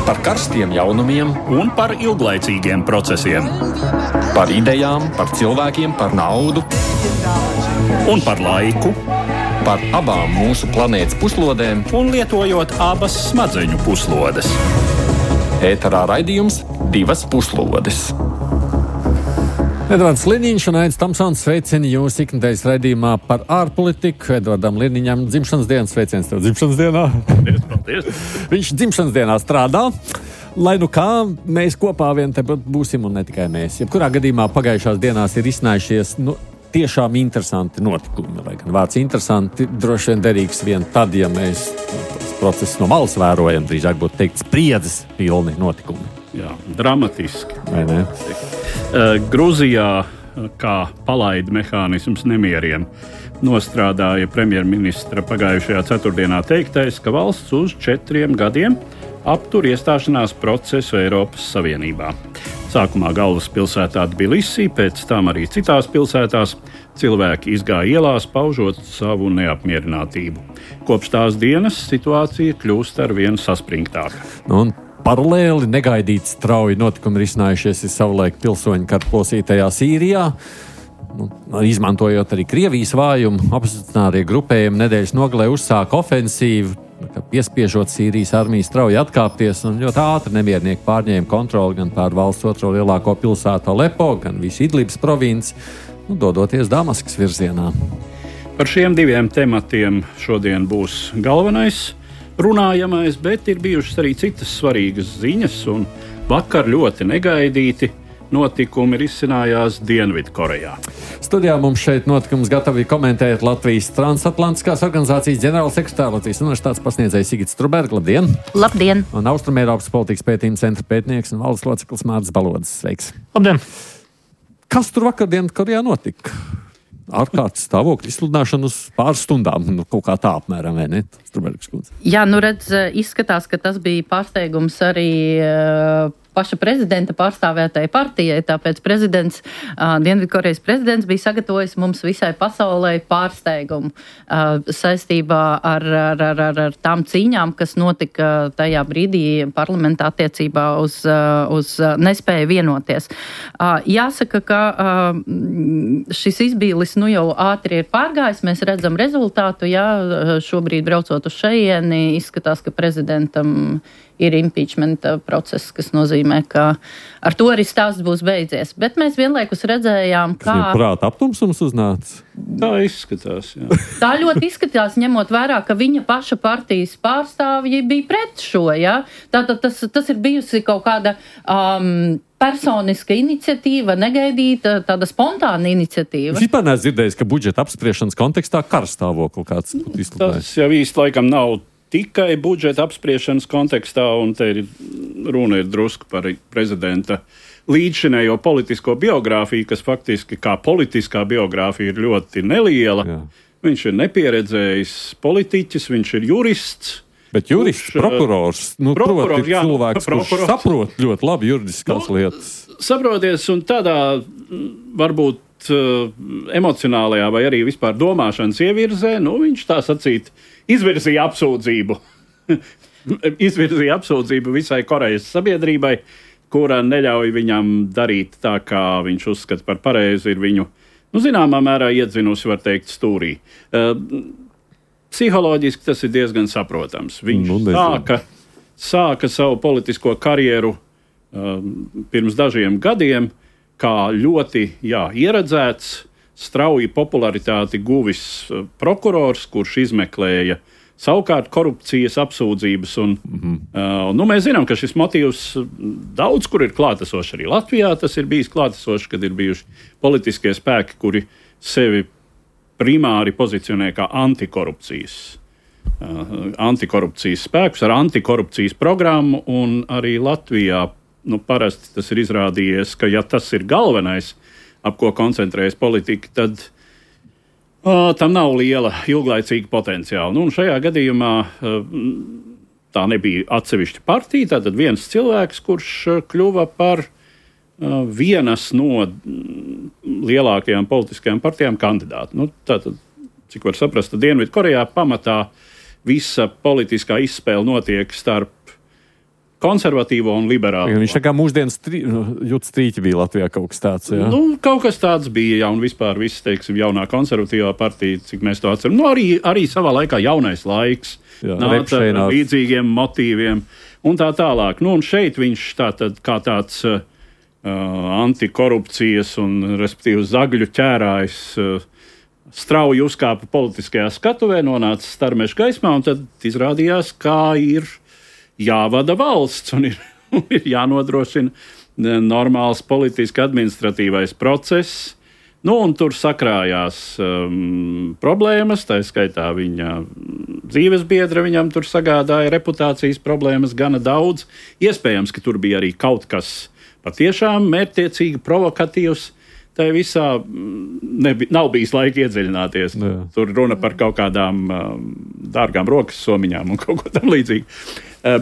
Par karstiem jaunumiem un par ilglaicīgiem procesiem. Par idejām, par cilvēkiem, par naudu Un par laiku, par abām mūsu planētas puslodēm. un lietojot abas smadzeņu puslodes. Ēterā raidījums Divas puslodes. Edvards Liniņš un Aidis Tamsons sveicina jūs iknedēļas raidījumā par ārpolitiku. Edvardam Liniņam dzimšanas dienas sveiciens tev dzimšanas dienā. Paldies. Viņš dzimšanas dienā strādā. Lai nu kā, mēs kopā vien te būsim un ne tikai mēs. Jebkurā gadījumā pagājušās dienās ir izcinājušies tiešām interesanti notikumi. Lai gan vārds interesanti droši vien derīgs vien tad, ja mēs procesu no malas vērojam, drīzāk būtu teikt spriedzes pilni notikumi. Jā, dramatiski. Vai ne? Gruzijā kā palaida mehānisms nemieriem nostrādāja premjerministra pagājušajā ceturtdienā teiktais, ka valsts uz 4 gadiem aptur iestāšanās procesu Eiropas Savienībā. Sākumā galvaspilsētā Tbilisī, pēc tam arī citās pilsētās cilvēki izgāja ielās, paužot savu neapmierinātību. Kopš tās dienas situācija kļūst arvien saspringtāka. Un paralēli negaidīti strauji notikumi ir izcinājušies savulaik pilsoņu kara plosītajā Sīrijā. Izmantojot arī Krievijas vājumu, opozicionārie grupējumi nedēļas nogalē uzsāka ofensīvu, piespiežot Sīrijas armiju strauji atkāpties, un ļoti ātri nemiernieki pārņēma kontroli gan pār valsts otro lielāko pilsētu Alepo, gan visu Idlibas provinci, dodoties Damaskas virzienā. Par šiem diviem tematiem šodien būs galvenais runājamais, bet ir bijušas arī citas svarīgas ziņas, un vakar ļoti negaidīti notikumi risinājās Dienvidkorejā. Studijā mums šeit notikums gatavi komentēt Latvijas Transatlantiskās organizācijas ģenerālsekretārs, Latvijas universitātes pasniedzējs Sigits Strubērgs. Labdien! Labdien! Un Austrumēropas politikas pētījuma centra pētnieks un valdes loceklis Mārcis Balodis. Sveiks! Labdien! Kas tur vakar Dienvidkorejā notika? Ārkārtas stāvokļa izsludināšana uz pāris stundām, kaut kā tā apmēram, vai ne? Strubērgs kundze. Jā, redz, izskatās, ka tas bija pārsteigums arī paša prezidenta pārstāvētai partijai, tāpēc Dienvidkorejas prezidents bija sagatavojis mums visai pasaulē pārsteigumu saistībā ar tām cīņām, kas notika tajā brīdī parlamentā attiecībā uz nespēju vienoties. Jāsaka, ka šis izbīlis jau ātri ir pārgājis, mēs redzam rezultātu, šobrīd braucot uz šejieni, izskatās, ka prezidentam ir impeachment process, kas nozīmē, ka ar to arī stāsts būs beidzies. Bet mēs vienlaikus redzējām, kā... Viņam prāta aptumsums uznāca? Tā izskatās, jā. Tā ļoti izskatās, ņemot vērā, ka viņa paša partijas pārstāvji bija pret šo, jā. Tātad tas ir bijusi kaut kāda... personiska iniciatīva, negaidīta, tāda spontāna iniciatīva. Es vispār neesmu dzirdējis, ka budžeta apspriešanas kontekstā karstāvokli kāds izsludināja. Tas jau īsti laikam nav tikai budžeta apspriešanas kontekstā, un te runa ir drusku par prezidenta līdzšinējo politisko biogrāfiju, kas faktiski kā politiskā biogrāfija ir ļoti neliela. Jā. Viņš ir nepieredzējis politiķis, viņš ir jurists. Bet jurists, prokurors, proti cilvēks, kurš saprot ļoti labi juridiskās lietas. Saproties, un tādā varbūt emocionālajā vai arī vispār domāšanas ievirzē, viņš tā sacīt izvirzīja apsūdzību. Izvirzīja apsūdzību visai Korejas sabiedrībai, kura neļauj viņam darīt tā, kā viņš uzskata par pareizi, ir viņu, zināmā mērā iedzinusi, var teikt, stūrī. Psiholoģiski tas ir diezgan saprotams. Viņš sāka savu politisko karjeru pirms dažiem gadiem, kā ļoti ieredzēts, strauji popularitāti guvis prokurors, kurš izmeklēja savukārt korupcijas apsūdzības. Mēs zinām, ka šis motīvs daudz kur ir klātesošs arī Latvijā. Tas ir bijis klātesošs, kad ir bijuši politiskie spēki, kuri sevi primāri pozicionē kā antikorupcijas spēkus ar antikorupcijas programmu, un arī Latvijā parasti tas ir izrādījies, ka ja tas ir galvenais, ap ko koncentrējas politika, tad tam nav liela ilglaicīga potenciāla. Un šajā gadījumā tā nebija atsevišķa partija, tātad viens cilvēks, kurš kļuva par vienas no lielākajām politiskajām partijām kandidātu. Tātad, cik var saprast, Dienvidkorejā pamatā visa politiskā izspēle notiek starp konservatīvo un liberālo. Viņš tā kā mūsdienas jūt strīķi bija Latvijā kaut kas tāds, jā? Nu, kaut kas tāds bija, jā, un vispār viss, teiksim, jaunā konservatīvā partija, cik mēs to atceram. Nu, arī savā laikā jaunais laiks nāca ar līdzīgiem motīviem un tā tālāk. Nu, un šeit viņš tātad kā tāds antikorupcijas un, respektīvi, zagļu ķērājs strauji uzkāpa politiskajā skatuvē, nonāca starmešu gaismā, un tad izrādījās, kā ir jāvada valsts un ir jānodrošina normāls politiski administratīvais process. Nu, un tur sakrājās problēmas, tā skaitā viņa dzīves biedra viņam tur sagādāja reputācijas problēmas gana daudz. Iespējams, ka tur bija arī kaut kas patiešām mērķtiecīgi provokatīvs. Tā visā nav bijis laika iedziļināties. Jā. Tur runa par kaut kādām dārgām rokas somiņām un kaut ko tam līdzīgi.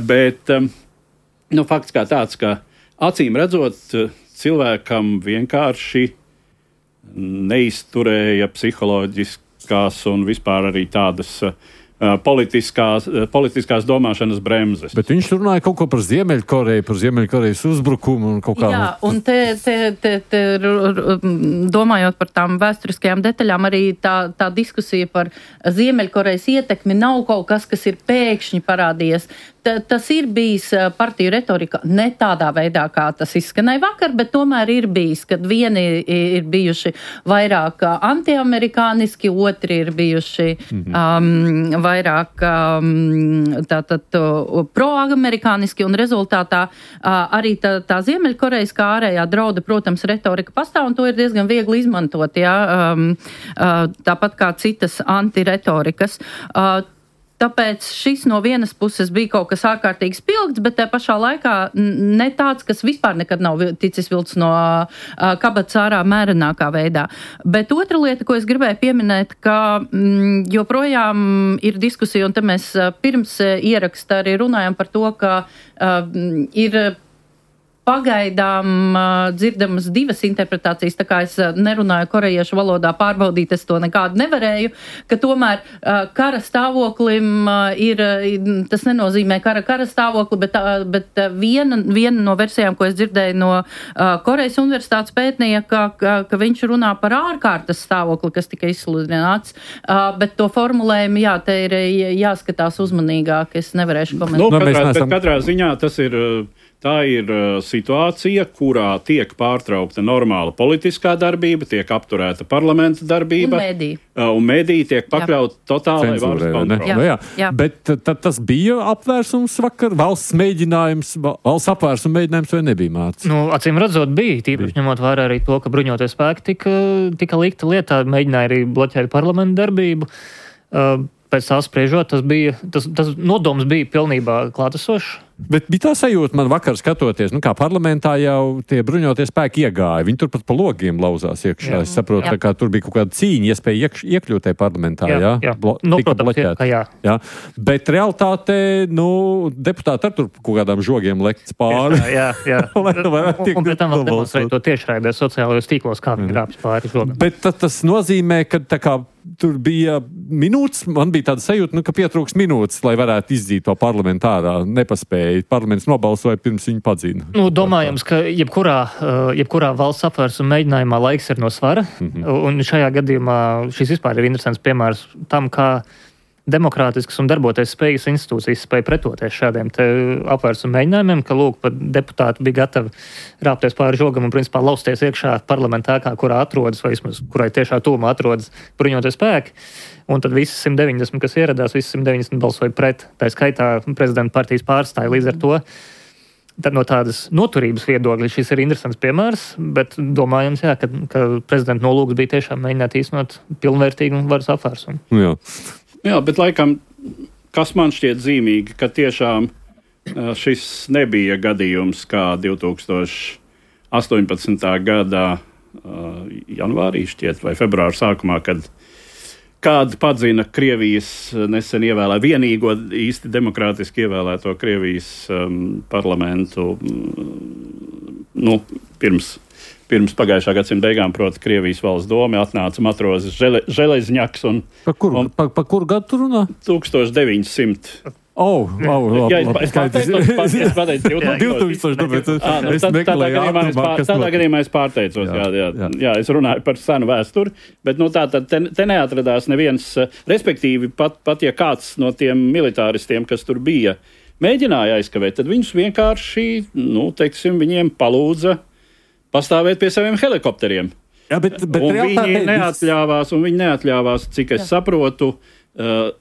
Bet fakts kā tāds, ka acīm redzot, cilvēkam vienkārši neizturēja psiholoģiskās un vispār arī tādas politiskās domāšanas bremzes. Bet viņš runāja kaut ko par Ziemeļkoreju, par Ziemeļkorejas uzbrukumu un kaut kā. Jā, un te domājot par tām vēsturiskajām detaļām, arī tā diskusija par Ziemeļkorejas ietekmi nav kaut kas ir pēkšņi parādījies. Tas ir bijis partiju retorika ne tādā veidā, kā tas izskanēja vakar, bet tomēr ir bijis, kad vieni ir bijuši vairāk antiamerikāniski, otri ir bijuši vairāk proamerikāniski, un rezultātā arī tā Ziemeļkorejas kā ārējā drauda, protams, retorika pastāv, un to ir diezgan viegli izmantot, jā, tāpat kā citas antiretorikas. Tāpēc šis no vienas puses bija kaut kas ārkārtīgi spilgts, bet tā pašā laikā ne tāds, kas vispār nekad nav ticis vilts no kabatas ārā mērenākā veidā. Bet otra lieta, ko es gribēju pieminēt, ka joprojām ir diskusija, un te mēs pirms ieraksta arī runājam par to, ka ir pagaidām dzirdamas divas interpretācijas, tā kā es nerunāju korejiešu valodā, pārbaudīt es to nekādu nevarēju, ka tomēr kara stāvoklim tas nenozīmē kara stāvokli, bet viena no versijām, ko es dzirdēju no Korejas universitātes pētnieka, ka viņš runā par ārkārtas stāvokli, kas tika izsludināts, bet to formulējumu, jā, te ir jāskatās uzmanīgāk, es nevarēšu komentēt. Bet katrā ziņā tā ir situācija, kurā tiek pārtraukta normāla politiskā darbība, tiek apturēta parlamenta darbība. Un mediji tiek pakļauti totālai varas kontrolei. Jā. Bet tas bija apvērsums vakar, valsts apvērsuma mēģinājums vai nebija, Mārcis? Acīm redzot bija, tīpaši ņemot vērā arī to, ka bruņoties spēki tika likta lietā, mēģināja arī bloķēt parlamenta darbību. Pēc tā spriežot, tas nodoms bija pilnībā klātesošs. Bet bija tā sajūta man vakar skatoties, kā parlamentā jau tie bruņotie spēki iegāja. Viņi turpat pa logiem lauzās iekšā. Es saprotu, tā kā tur bija kaut kāda cīņa, iespēja iekļūt tajā parlamentā. Jā. Tika bloķēta. Jā. Bet realitātē, deputāti ar tur kaut kādām žogiem lekts pāri. Jā. Un pēc tam vēl demonstrēja to tiešraidē sociālajos tīklos, kā viņi grābjas pāri žogam. Bet tas nozīmē, ka tā kā tur bija minūtes, man bija tāda sajūta, ka pietrūks minūtes, lai varētu izdzīt to parlamentārā. Nepaspēja. Parlaments nobalsoja pirms viņu padzina. Domājams, ka jebkurā valsts apvērsuma mēģinājumā laiks ir no svara. Un šajā gadījumā šis vispār ir interesants piemērs tam, kā demokrātiskas un darboties spējas institūcijas spēja pretoties šādiem te apvērsuma mēģinājumiem, ka, pat deputāti bija gatavi rāpties pāri žogam un, principā, lausties iekšā parlamentā, kurā atrodas, vai vismaz, kurai tiešā tūmā atrodas bruņotie spēki. Un tad visi 190, kas ieradās, visi 190 balsoja pret. Tā skaitā prezidenta partijas pārstāja līdz ar to. Tad no tādas noturības viedokļa šis ir interesants piemērs, bet domājams, ka prezidenta nolūks bija tiešām mēģināt īstenot pilnvērtīgu varas apvērsumu. Jā, bet laikam, kas man šķiet zīmīgi, ka tiešām šis nebija gadījums kā 2018. Gadā janvārī šķiet vai februāra sākumā, kad kāda padzina Krievijas nesen vienīgo īsti demokrātiski ievēlēto Krievijas parlamentu pirms pagājušā gadsimta beigām, proti, Krievijas valsts doma atnāca matrozes Železņaks. Pa kuru gadu tur runā? 1900. Es pateicu 2000, es meklēju ātrumā, tādā gadījumā es pārteicos, jā, es runāju par senu vēsturi, bet tātad te neatradās neviens, respektīvi pat ja kāds no tiem militāristiem, kas tur bija, mēģināja aizkavēt, tad viņus vienkārši, viņiem palūdza pastāvēt pie saviem helikopteriem. Jā, bet viņi neatļāvās, cik es saprotu,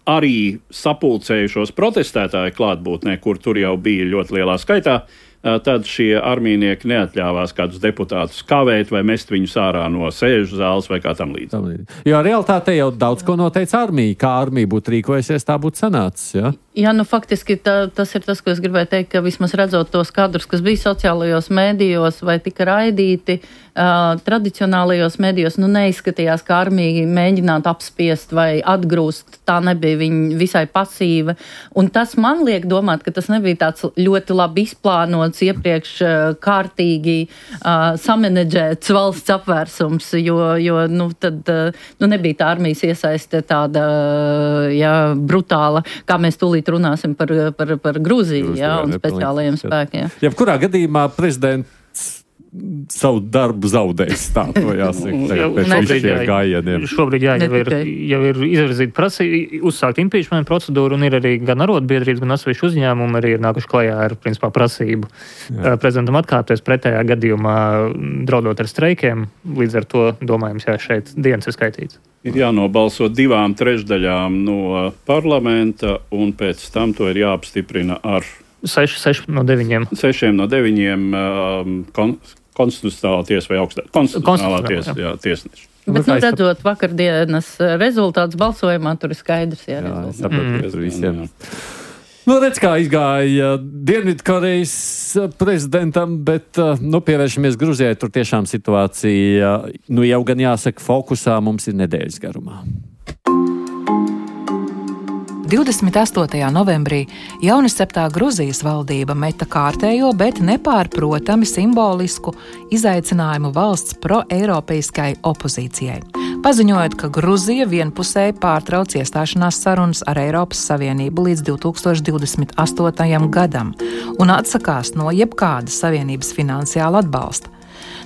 arī sapulcējušos protestētāju klātbūtnē, kur tur jau bija ļoti lielā skaitā, tad šie armijnieki neatļāvās kādus deputātus kavēt vai mest viņus ārā no sēžu zāles vai kā tam līdzi. Jo realitātē jau daudz ko noteica armija. Kā armija būtu rīkojusies, tā būtu sanācis, ja? Jā, faktiski tas ir tas, ko es gribēju teikt, ka vismaz redzot tos kadrus, kas bija sociālajos mēdījos vai tika raidīti, tradicionālajos mēdījos, neizskatījās, ka armija mēģinātu apspiest vai atgrūst. Tā nebija viņa visai pasīva. Un tas man liek domāt, ka tas nebija tāds ļoti labi izplānots, iepriekš kārtīgi samanedžēts valsts apvērsums, jo nebija tā armijas iesaiste tāda, brutāla, kā mēs tūlīt runāsim par Grūziju, un speciālajiem spēkiem. Jebkurā gadījumā prezidents savu darbu zaudējis, tā to jāsaka, pēc šiem gājieniem. Šobrīd jau ir izvirzīta prasība, uzsākt impeachment procedūru, un ir arī gan arotbiedrības, gan atsevišķi uzņēmumi arī ir nākuši klajā ar, principā, prasību prezidentam atkāpties, pretējā gadījumā draudot ar streikiem. Līdz ar to, domājams, šeit dienas ir skaitīts. Ir jānobalso 2/3 no parlamenta, un pēc tam to ir jāapstiprina ar 6 no 9. 6 no 9 konstitucionālā tiesa vai augstā konstitucionālā tiesa, tiesneši. Bet, redzot vakardienas rezultātus balsojumā, tur ir skaidrs, es saprotu, visiem. Redz, kā izgāja Dienvidkorejas prezidentam, bet, pievēršamies Gruzijai, tur tiešām situācija, jau gan jāsaka, fokusā mums ir nedēļas garumā. 28. novembrī jaunisceptā Gruzijas valdība meta kārtējo, bet nepārprotami simbolisku izaicinājumu valsts pro-eiropeiskai opozīcijai, paziņojot, ka Gruzija vienpusēji pārtrauc iestāšanās sarunas ar Eiropas Savienību līdz 2028. gadam un atsakās no jebkāda Savienības finansiāla atbalsta.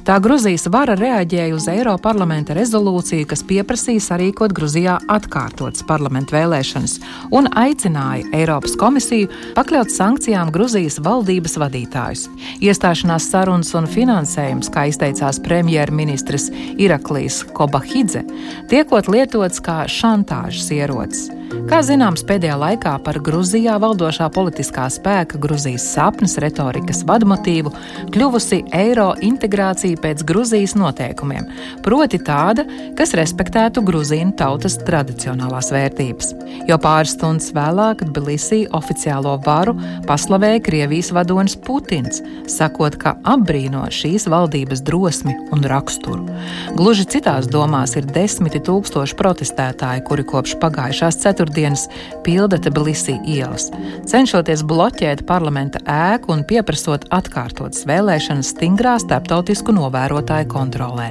Tā Gruzijas vara reaģēja uz Eiroparlamenta rezolūciju, kas pieprasīja sarīkot Gruzijā atkārtotas parlamentu vēlēšanas un aicināja Eiropas komisiju pakļaut sankcijām Gruzijas valdības vadītājus. Iestāšanās sarunas un finansējums, kā izteicās premjerministrs Iraklijs Kobahidze, tiekot lietots kā šantāžas ierocis. Kā zināms, pēdējā laikā par Gruzijā valdošā politiskā spēka Gruzijas sapnes retorikas vadmotīvu kļuvusi eiro integrācija pēc Gruzijas noteikumiem, proti tāda, kas respektētu gruzīnu tautas tradicionālās vērtības. Jo pāris stundas vēlāk Tbilisī oficiālo varu paslavēja Krievijas vadonis Putins, sakot, ka apbrīno šīs valdības drosmi un raksturu. Gluži citās domās ir 10 000 protestētāji, kuri kopš pagājušās ceturtdienas pilda Tbilisī ielas, cenšoties bloķēt parlamenta ēku un pieprasot atkārtotas vēlēšanas stingrā starptautisku novērotāju kontrolē.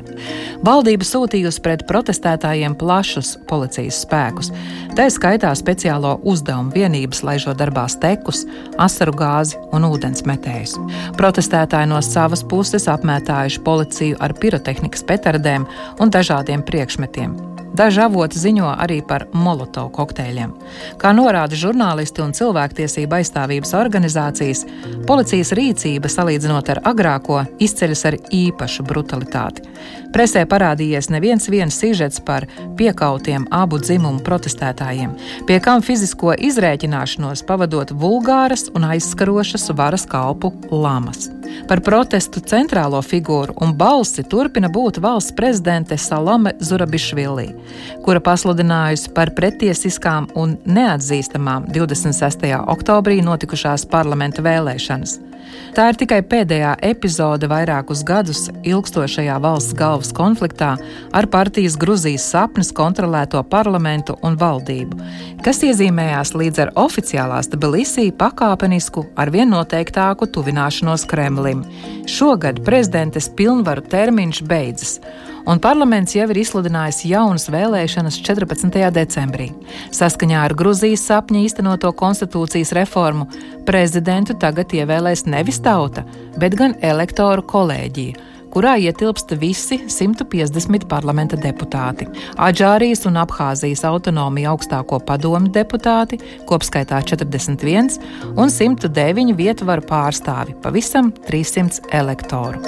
Valdība sūtījusi pret protestētājiem plašus policijas spēkus, tā skaitā speciālo uzdevumu vienības, laižot darbā stekus, asaru gāzi un ūdensmetējus. Protestētāji no savas puses apmētājuši policiju ar pirotehnikas petardēm un dažādiem priekšmetiem. Daži avoti ziņo arī par molotovu kokteļiem. Kā norāda žurnālisti un cilvēktiesība aizstāvības organizācijas, policijas rīcība, salīdzinot ar agrāko, izceļas ar īpašu brutalitāti. Presē parādījies neviens sižets par piekautiem abu dzimumu protestētājiem, pie kam fizisko izrēķināšanos pavadot vulgāras un aizskarošas varas kalpu lamas. Par protestu centrālo figūru un balsi turpina būt valsts prezidente Salome Zurabišvili, kura pasludinājusi par pretiesiskām un neatzīstamām 26. oktobrī notikušās parlamenta vēlēšanas. Tā ir tikai pēdējā epizode vairākus gadus ilgstošajā valsts galvas konfliktā ar partijas Gruzijas sapnes kontrolēto parlamentu un valdību, kas iezīmējās līdz ar oficiālās Tbilisī pakāpenisku arvien noteiktāku tuvināšanos Kremlim. Šogad prezidentes pilnvaru termiņš beidzas, un parlaments jau ir izsludinājis jaunas vēlēšanas 14. decembrī. Saskaņā ar Gruzijas sapņa īstenoto konstitūcijas reformu prezidentu tagad ievēlēs nevis tauta, bet gan elektoru kolēģija, kurā ietilpst visi 150 parlamenta deputāti. Adžārijas un Abhāzijas autonomija augstāko padomu deputāti, kopskaitā 41, un 109 vietvaru pārstāvi, pavisam 300 elektoru.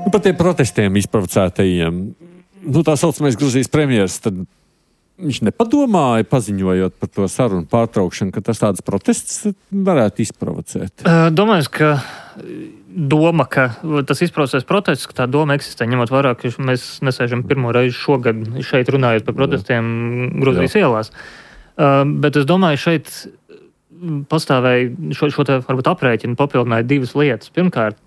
Par tiem protestiem izprovocētajiem, tā saucamais Gruzijas premjers, tad viņš nepadomāja, paziņojot par to sarunu pārtraukšanu, ka tas tāds protests varētu izprovocēt. Domāju, ka doma, ka tas izprovocēs protests, ka tā doma eksistē, ņemot vērā, ka mēs nesēžam pirmo reizi šogad šeit runājot par protestiem Gruzijas ielās. Bet es domāju, šeit pastāvēja šo te varbūt aprēķinu papildināja divas lietas. Pirmkārt,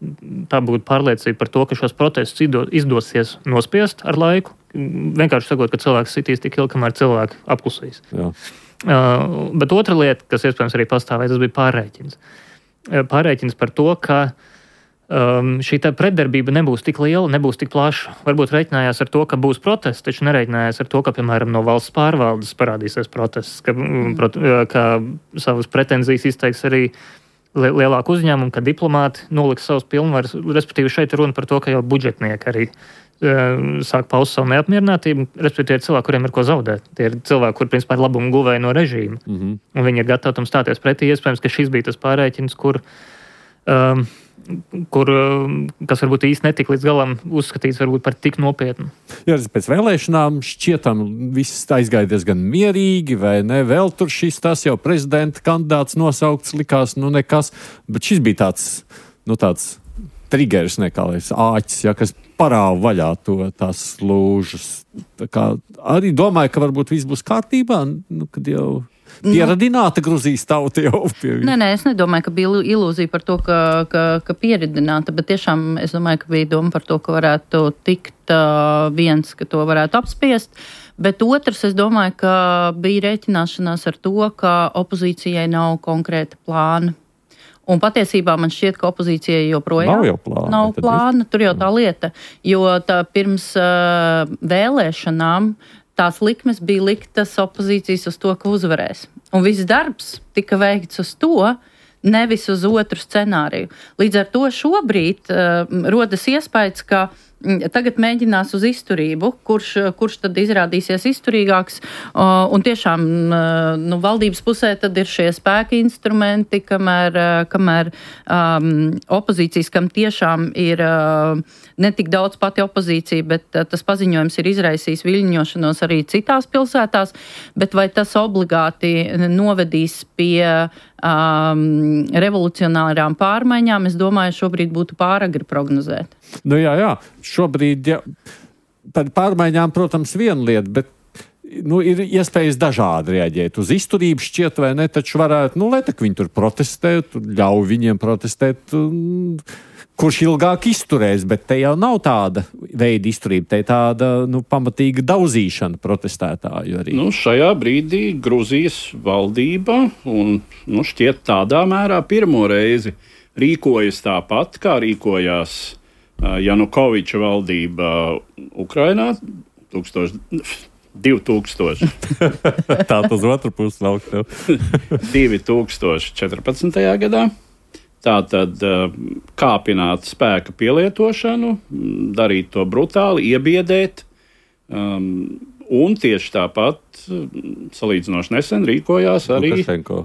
tā būtu pārliecība par to, ka šos protestus izdosies nospiest ar laiku. Vienkārši sakot, ka cilvēks sitīs tik ilgi, kamēr cilvēki apklusīs. Bet otra lieta, kas iespējams arī pastāvēja, tas bija pārreķins. Pārreķins par to, ka šī pretdarbība nebūs tik liela, nebūs tik plaša. Varbūt reiķinājās ar to, ka būs protests, taču nereiķinājās ar to, ka, piemēram, no valsts pārvaldes parādīsies protests, ka savas pretenzijas izteiks arī lielāku uzņēmumu, ka diplomāti noliks savus pilnvaras. Respektīvi, šeit runa par to, ka jau budžetnieki arī sāk paust savu neapmierinātību. Respektīvi, ir cilvēki, kuriem ir ko zaudēt. Tie ir cilvēki, kuri, principā, ir labumu guvēji no režīma. Un viņi ir gatavi tam stāties pretī. Iespējams, ka šis bija tas pārreķins, kas varbūt īsti netika līdz galam uzskatīts varbūt par tik nopietnu. Jā, pēc vēlēšanām šķietam viss aizgāja diezgan mierīgi, vai ne? Vēl tur šis tas jau prezidenta kandidāts nosaukts likās, nekas, bet šis bija tāds triggers, āķis, kas parāva vaļā tās slūžas. Tā kā arī domāju, ka varbūt viss būs kārtībā, kad jau pieradināta Gruzijas tauta jau pie. Nē, es nedomāju, ka bija ilūzija par to, ka pieradināta, bet tiešām es domāju, ka bija doma par to, ka varētu tikt viens, ka to varētu apspiest. Bet otrs, es domāju, ka bija rēķināšanās ar to, ka opozīcijai nav konkrēta plāna. Un patiesībā man šķiet, ka opozīcijai joprojām nav plāna. Tur jau tā lieta, jo pirms vēlēšanām tās likmes bija liktas opozīcijas uz to, ka uzvarēs. Un viss darbs tika veikts uz to, nevis uz otru scenāriju. Līdz ar to šobrīd rodas iespējas, ka tagad mēģinās uz izturību, kurš tad izrādīsies izturīgāks. Un tiešām valdības pusē tad ir šie spēka instrumenti, kamēr opozīcijas, kam tiešām ir ne tik daudz pati opozīcija, bet tas paziņojums ir izraisījis viļņošanos arī citās pilsētās, bet vai tas obligāti novedīs pie revolucionārām pārmaiņām, es domāju, šobrīd būtu pāragri prognozēt. Jā. Šobrīd, par pārmaiņām, protams, viena lieta, bet ir iespējas dažādi reaģēt. Uz izturību šķiet, vai ne, taču varētu, lai tak viņi tur protestē, ļauj viņiem protestēt, kurš ilgāk izturēs, bet te jau nav tāda veida izturība, te tāda pamatīga daudzīšana protestētāju arī. Šajā brīdī Gruzijas valdība un šķiet tādā mērā pirmo reizi rīkojas tāpat, kā rīkojās Janukoviča valdība Ukrainā 2000. Tā uz otru pusi laukt tev. 2014. gadā. Tātad kāpināt spēka pielietošanu, darīt to brutāli, iebiedēt, un tieši tāpat salīdzinoši nesen rīkojās arī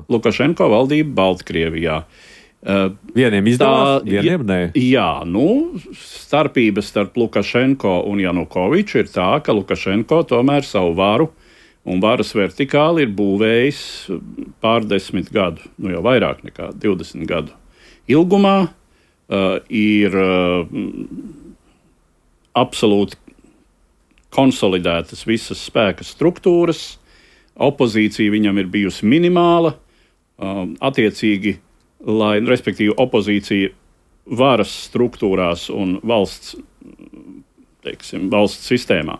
Lukašenko valdība Baltkrievijā. Vieniem izdevās, vieniem nē. Jā, starpība starp Lukašenko un Janukoviču ir tā, ka Lukašenko tomēr savu varu un varas vertikāli ir būvējis pārdesmit gadu, jau vairāk nekā 20 gadu ilgumā, ir absolūti konsolidētas visas spēka struktūras, opozīcija viņam ir bijusi minimāla, attiecīgi, respektīvi opozīcija varas struktūrās un valsts sistēmā.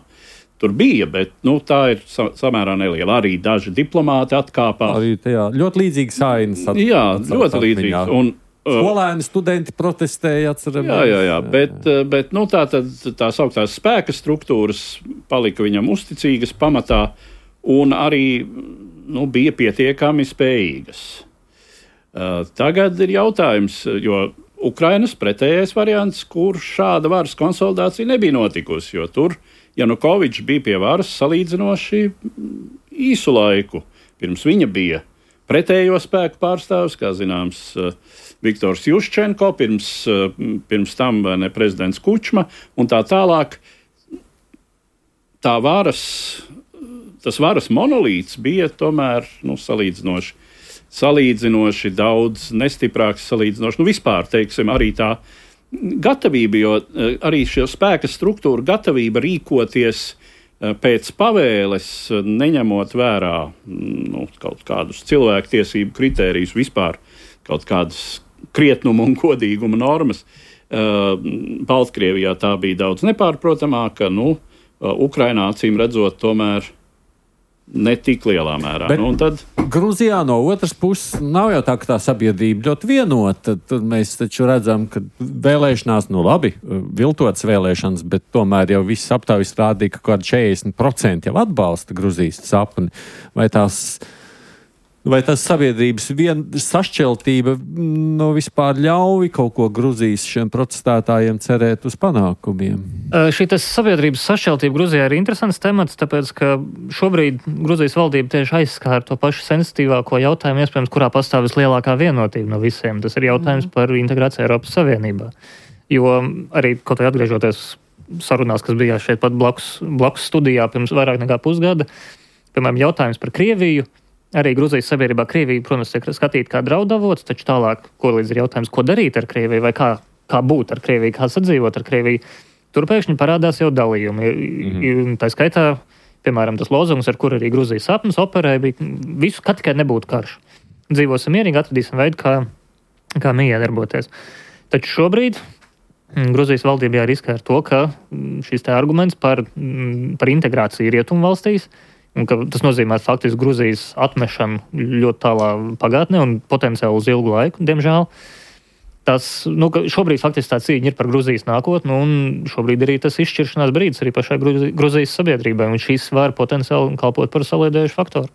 Tur bija, bet tā ir samērā neliela. Arī daži diplomāti atkāpās. Arī ļoti līdzīgas ainas. Jā, ļoti līdzīgas. Un Skolēni, studenti protestēja, atceramies. Jā. Bet tās augtās spēka struktūras palika viņam uzticīgas pamatā un arī bija pietiekami spējīgas. Tagad ir jautājums, jo Ukrainas pretējais variants, kur šāda varas konsolidācija nebija notikusi, jo tur Janukovičs bija pie varas salīdzinoši īsu laiku. Pirms viņa bija pretējo spēku pārstāvis, kā zināms, Viktors Juščenko, pirms tam prezidents Kučma un tā tālāk. Tas varas monolīts bija tomēr salīdzinoši daudz nestiprāks, vispār, teiksim, arī tā gatavība, jo arī šī spēka struktūra gatavība rīkoties pēc pavēles, neņemot vērā kaut kādus cilvēktiesību kritērijus, vispār kaut kādas krietnuma un godīguma normas. Baltkrievijā tā bija daudz nepārprotamāka, Ukrainā acīm redzot tomēr ne tik lielā mērā. Bet Gruzijā no otras puses nav jau tā, ka tā sabiedrība ļoti vienota. Tad mēs taču redzam, ka vēlēšanās, viltotas vēlēšanas, bet tomēr jau viss aptaujas rādīja, ka kaut kādi 40% jau atbalsta Gruzijas sapni. Vai tas sabiedrības sašķeltība vispār ļauj kaut ko Gruzijas šiem protestētājiem cerēt uz panākumiem? Šī sabiedrības sašķeltība Gruzijā ir interesants temats, tāpēc, ka šobrīd Gruzijas valdība tieši aizskāra to pašu sensitīvāko jautājumu, iespējams, kurā pastāv vislielākā vienotība no visiem. Tas ir jautājums par integrāciju Eiropas Savienībā. Jo arī, kaut vai atgriežoties sarunās, kas bija šeit pat blakus studijā pirms vairāk nekā pusgada, piemēram, jautājums par Krieviju. Arī Gruzijas sabiedrībā Krievija, protams, tiek skatīta kā draudavots, taču tālāk, ko līdz ir jautājums, ko darīt ar Krieviju, vai kā būt ar Krieviju, kā sadzīvot ar Krieviju, tur pēkšņi parādās jau dalījumi. Tā skaitā, piemēram, tas lozungs, ar kur arī Gruzijas sapnis operē, bija visu, ka tikai nebūtu karš. Dzīvosim mierīgi, atradīsim veidu, kā miedarboties. Taču šobrīd Gruzijas valdībā riskē ar to, ka šis arguments par integrāciju rietumu valstīs, un ka tas nozīmē faktiski Gruzijas atmešanu ļoti tālā pagātnē un potenciāli uz ilgu laiku, diemžēl. Šobrīd faktiski tā cīņa ir par Gruzijas nākotni, un šobrīd arī tas izšķiršanās brīdis arī pašai Gruzijas sabiedrībai, un šīs var potenciāli kalpot par saliedējušu faktoru.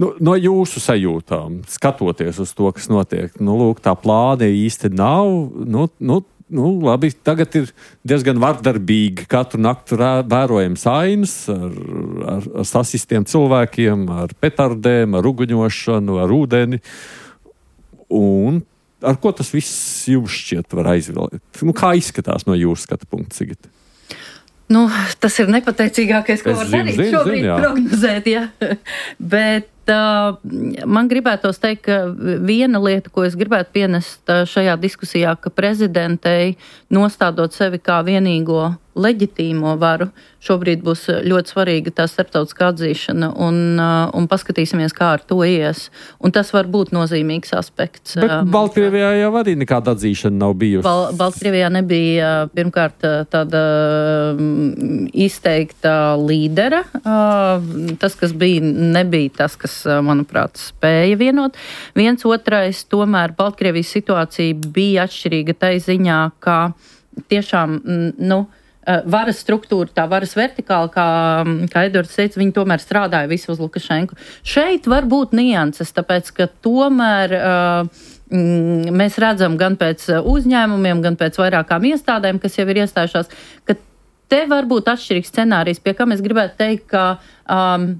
No jūsu sajūtām, skatoties uz to, kas notiek, tā plāna īsti nav, labi, tagad ir diezgan vardarbīgi. Katru naktu vērojams ainas ar sasistiem cilvēkiem, ar petardēm, ar uguņošanu, ar ūdeni. Un ar ko tas viss jums šķiet var aizvilkt? Kā izskatās no jūsu skatu punkta, Sigita? Tas ir nepateicīgākais, ko var darīt šobrīd prognozēt, jā. Bet man gribētos teikt, ka viena lieta, ko es gribētu pienest šajā diskusijā, ka prezidentei nostādot sevi kā vienīgo leģitīmo varu, šobrīd būs ļoti svarīga tā starptautiskā atzīšana un paskatīsimies, kā ar to ies. Un tas var būt nozīmīgs aspekts. Bet Baltkrievijā jau arī nekāda atzīšana nav bijusi. Baltkrievijā nebija pirmkārt tāda izteikta līdera. Tas, kas bija, nebija tas, kas, manuprāt, spēja vienot. Viens otrais, tomēr Baltkrievijas situācija bija atšķirīga tai ziņā, ka tiešām, varas struktūra, tā varas vertikāla, kā Edvards teica, viņi tomēr strādāja visu uz Lukašenku. Šeit var būt nianses, tāpēc, ka tomēr mēs redzam gan pēc uzņēmumiem, gan pēc vairākām iestādēm, kas jau ir iestājušās, ka te var būt atšķirīgs scenārijs, pie kā mēs gribētu teikt, ka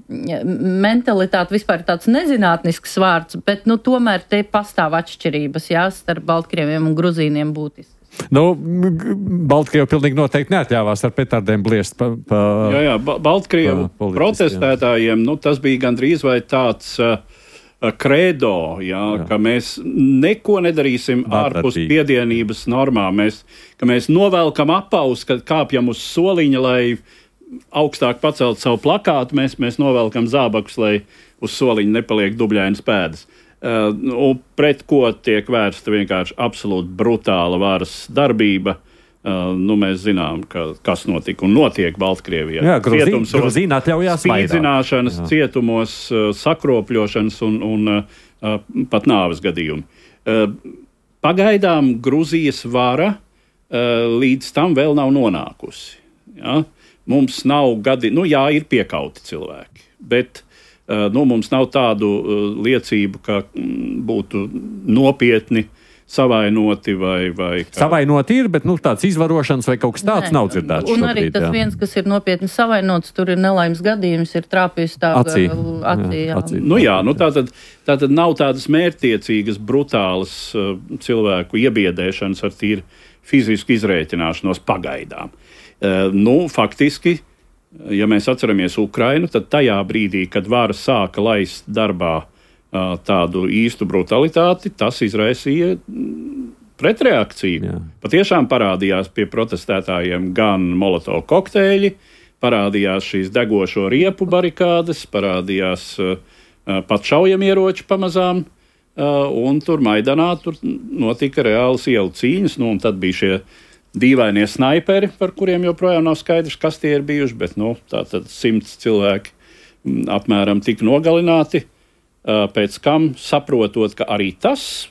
mentalitāte vispār ir tāds nezinātnisks vārds, bet tomēr te pastāv atšķirības, starp Baltkrieviem un Gruzīniem būtiski. Baltkrievi pilnīgi noteikti neatļāvās ar petardēm bliest Jā, Baltkrievu protestētājiem, tas bija gandrīz vai tāds kredo, ka mēs neko nedarīsim ārpus piedienības normām, ka mēs novelkam apaus, kad kāpjam uz soliņa, lai augstāk pacelt savu plakātu, mēs novelkam zābakus, lai uz soliņa nepaliek dubļainas pēdas. Pret ko tiek vērsta vienkārši absolūti brutāla varas darbība. Mēs zinām, kas notika un notiek Baltkrievijā. Jā, Gruzīna atļaujās spīdzināšanas, cietumos, sakropļošanas un pat nāves gadījumi. Pagaidām Gruzijas vara līdz tam vēl nav nonākusi. Ja? Mums nav ir piekauti cilvēki, bet mums nav tādu liecību, ka būtu nopietni savainoti vai Savainoti ir, bet tāds izvarošanas vai kaut kas tāds nav dzirdēts. Un arī tas viens, kas ir nopietni savainots, tur ir nelaimes gadījums, ir trāpījis tā acī. Tātad nav tādas mērķtiecīgas, brutālas cilvēku iebiedēšanas ar tīri fizisku izrēķināšanos pagaidām. Faktiski, ja mēs atceramies Ukrainu, tad tajā brīdī, kad vara sāka laist darbā tādu īstu brutalitāti, tas izraisīja pretreakciju. Jā. Patiešām parādījās pie protestētājiem gan Molotov kokteļi, parādījās šīs degošo riepu barikādes, parādījās pat šaujamieroči pamazām, un tur Maidanā notika reālas ielu cīņas, un tad bija šie dīvainie snaiperi, par kuriem joprojām nav skaidrs, kas tie ir bijuši, bet tātad 100 cilvēki apmēram tika nogalināti. Pēc kam, saprotot, ka arī tas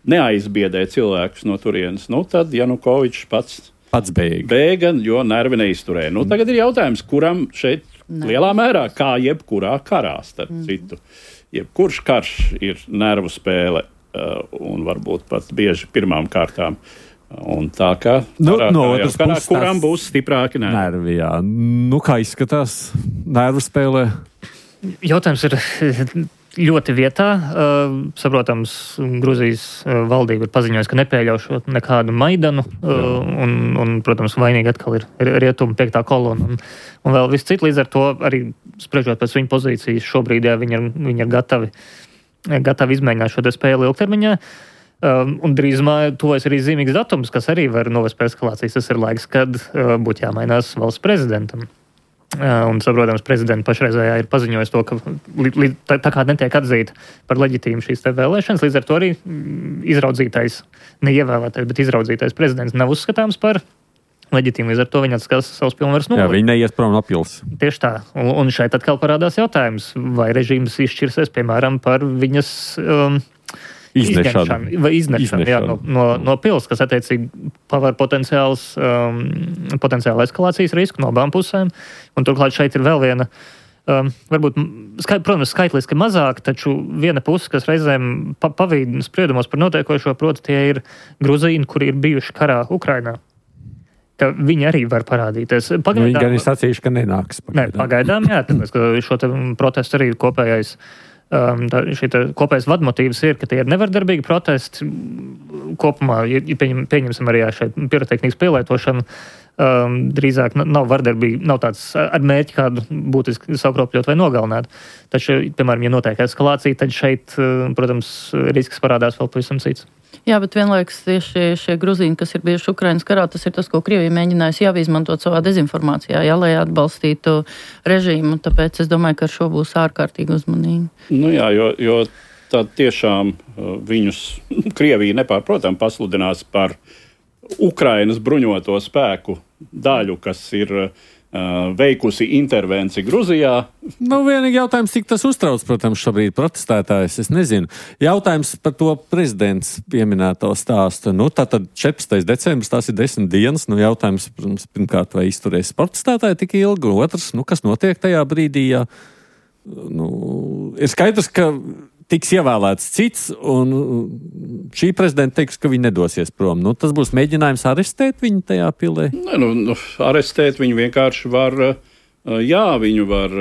neaizbiedē cilvēkus no turienes, tad Janukovičs pats bēga, jo nervi neizturēja. Tagad ir jautājums, kuram šeit lielā mērā, kā jebkurā karā, starp citu, jebkurš karš ir nervu spēle un varbūt pat bieži pirmām kārtām. Un tā kā kuram būs stiprāki nervi. Jā. Kā izskatās nervu spēlē? Jautājums ir ļoti vietā. Saprotams, Gruzijas valdība ir paziņojusi, ka nepieļaušot nekādu Maidanu, un, protams, vainīgi atkal ir rietumu 5. kolona un vēl viss cits. Līdz ar to arī spriežot pēc viņa pozīcijas šobrīd, viņi ir gatavi izmēģināt šo spēli ilgtermiņā. Un drīzumā tuvojas arī zīmīgs datums, kas arī var novest pie eskalācijas. Tas ir laiks, kad būtu jāmainās valsts prezidentam. Un, saprotams, prezidents pašreizējā ir paziņojis to, ka tā kā netiek atzīta par leģitīmu šīs te vēlēšanas, līdz ar to arī izraudzītais, neievēlētais, bet izraudzītais prezidents nav uzskatāms par leģitīmu. Līdz ar to viņi atskās savus pilnvaras nolaikt. Jā, viņi neies prom no pils. Tieši tā. Un šeit atkal parādās jautājums, vai režīms izšķirsies, piemēram, par viņas iznešanu no pils, kas attiecīgi paver potenciālu eskalācijas risku no abām pusēm. Un turklāt šeit ir vēl viena, varbūt, protams, skaitliski mazāk, taču viena puse, kas reizēm pavīd spriedumos par notiekošo, proti tie ir gruzīni, kuri ir bijuši karā Ukrainā. Ka viņi arī var parādīties. Viņi gan ir sacījuši, ka nenāks. Pagaidām, jā, tāpēc, ka šo protestu arī ir kopējais. Šī kopējais vadmotīvs ir, ka tie ir nevardarbīgi protesti. Kopumā, pieņemsim arī šeit pirotehnikas pielietošanu, drīzāk nav vardarbīgi, nav tāds ar mērķi kādu būtiski sakropļot vai nogalināt. Taču, piemēram, ja notiek eskalācija, tad šeit, protams, risks parādās vēl pavisam cits. Jā, bet vienlaikus tieši šie gruzīni, kas ir bijuši Ukrainas karā, tas ir tas, ko Krievija mēģinājusi jau izmantot savā dezinformācijā, lai atbalstītu režīmu. Tāpēc es domāju, ka ar šo būs ārkārtīgi uzmanīgi. Jo tā tiešām viņus Krievija nepārprotam pasludinās par Ukrainas bruņoto spēku daļu, kas ir veikusi intervenciju Gruzijā. Vienīgi jautājums, cik tas uztrauc, protams, šobrīd protestētājs, es nezinu. Jautājums par to prezidents pieminēto stāstu. Tātad 14. decembris, tās ir 10 dienas. Jautājums, protams, pirmkārt, vai izturēs protestētāji tik ilgi, un otrs, kas notiek tajā brīdī, ja ir skaidrs, ka tiks ievēlēts cits, un šī prezidenta teiks, ka viņi nedosies prom. Tas būs mēģinājums arestēt viņu tajā pilē? Arestēt viņu vienkārši var, viņu var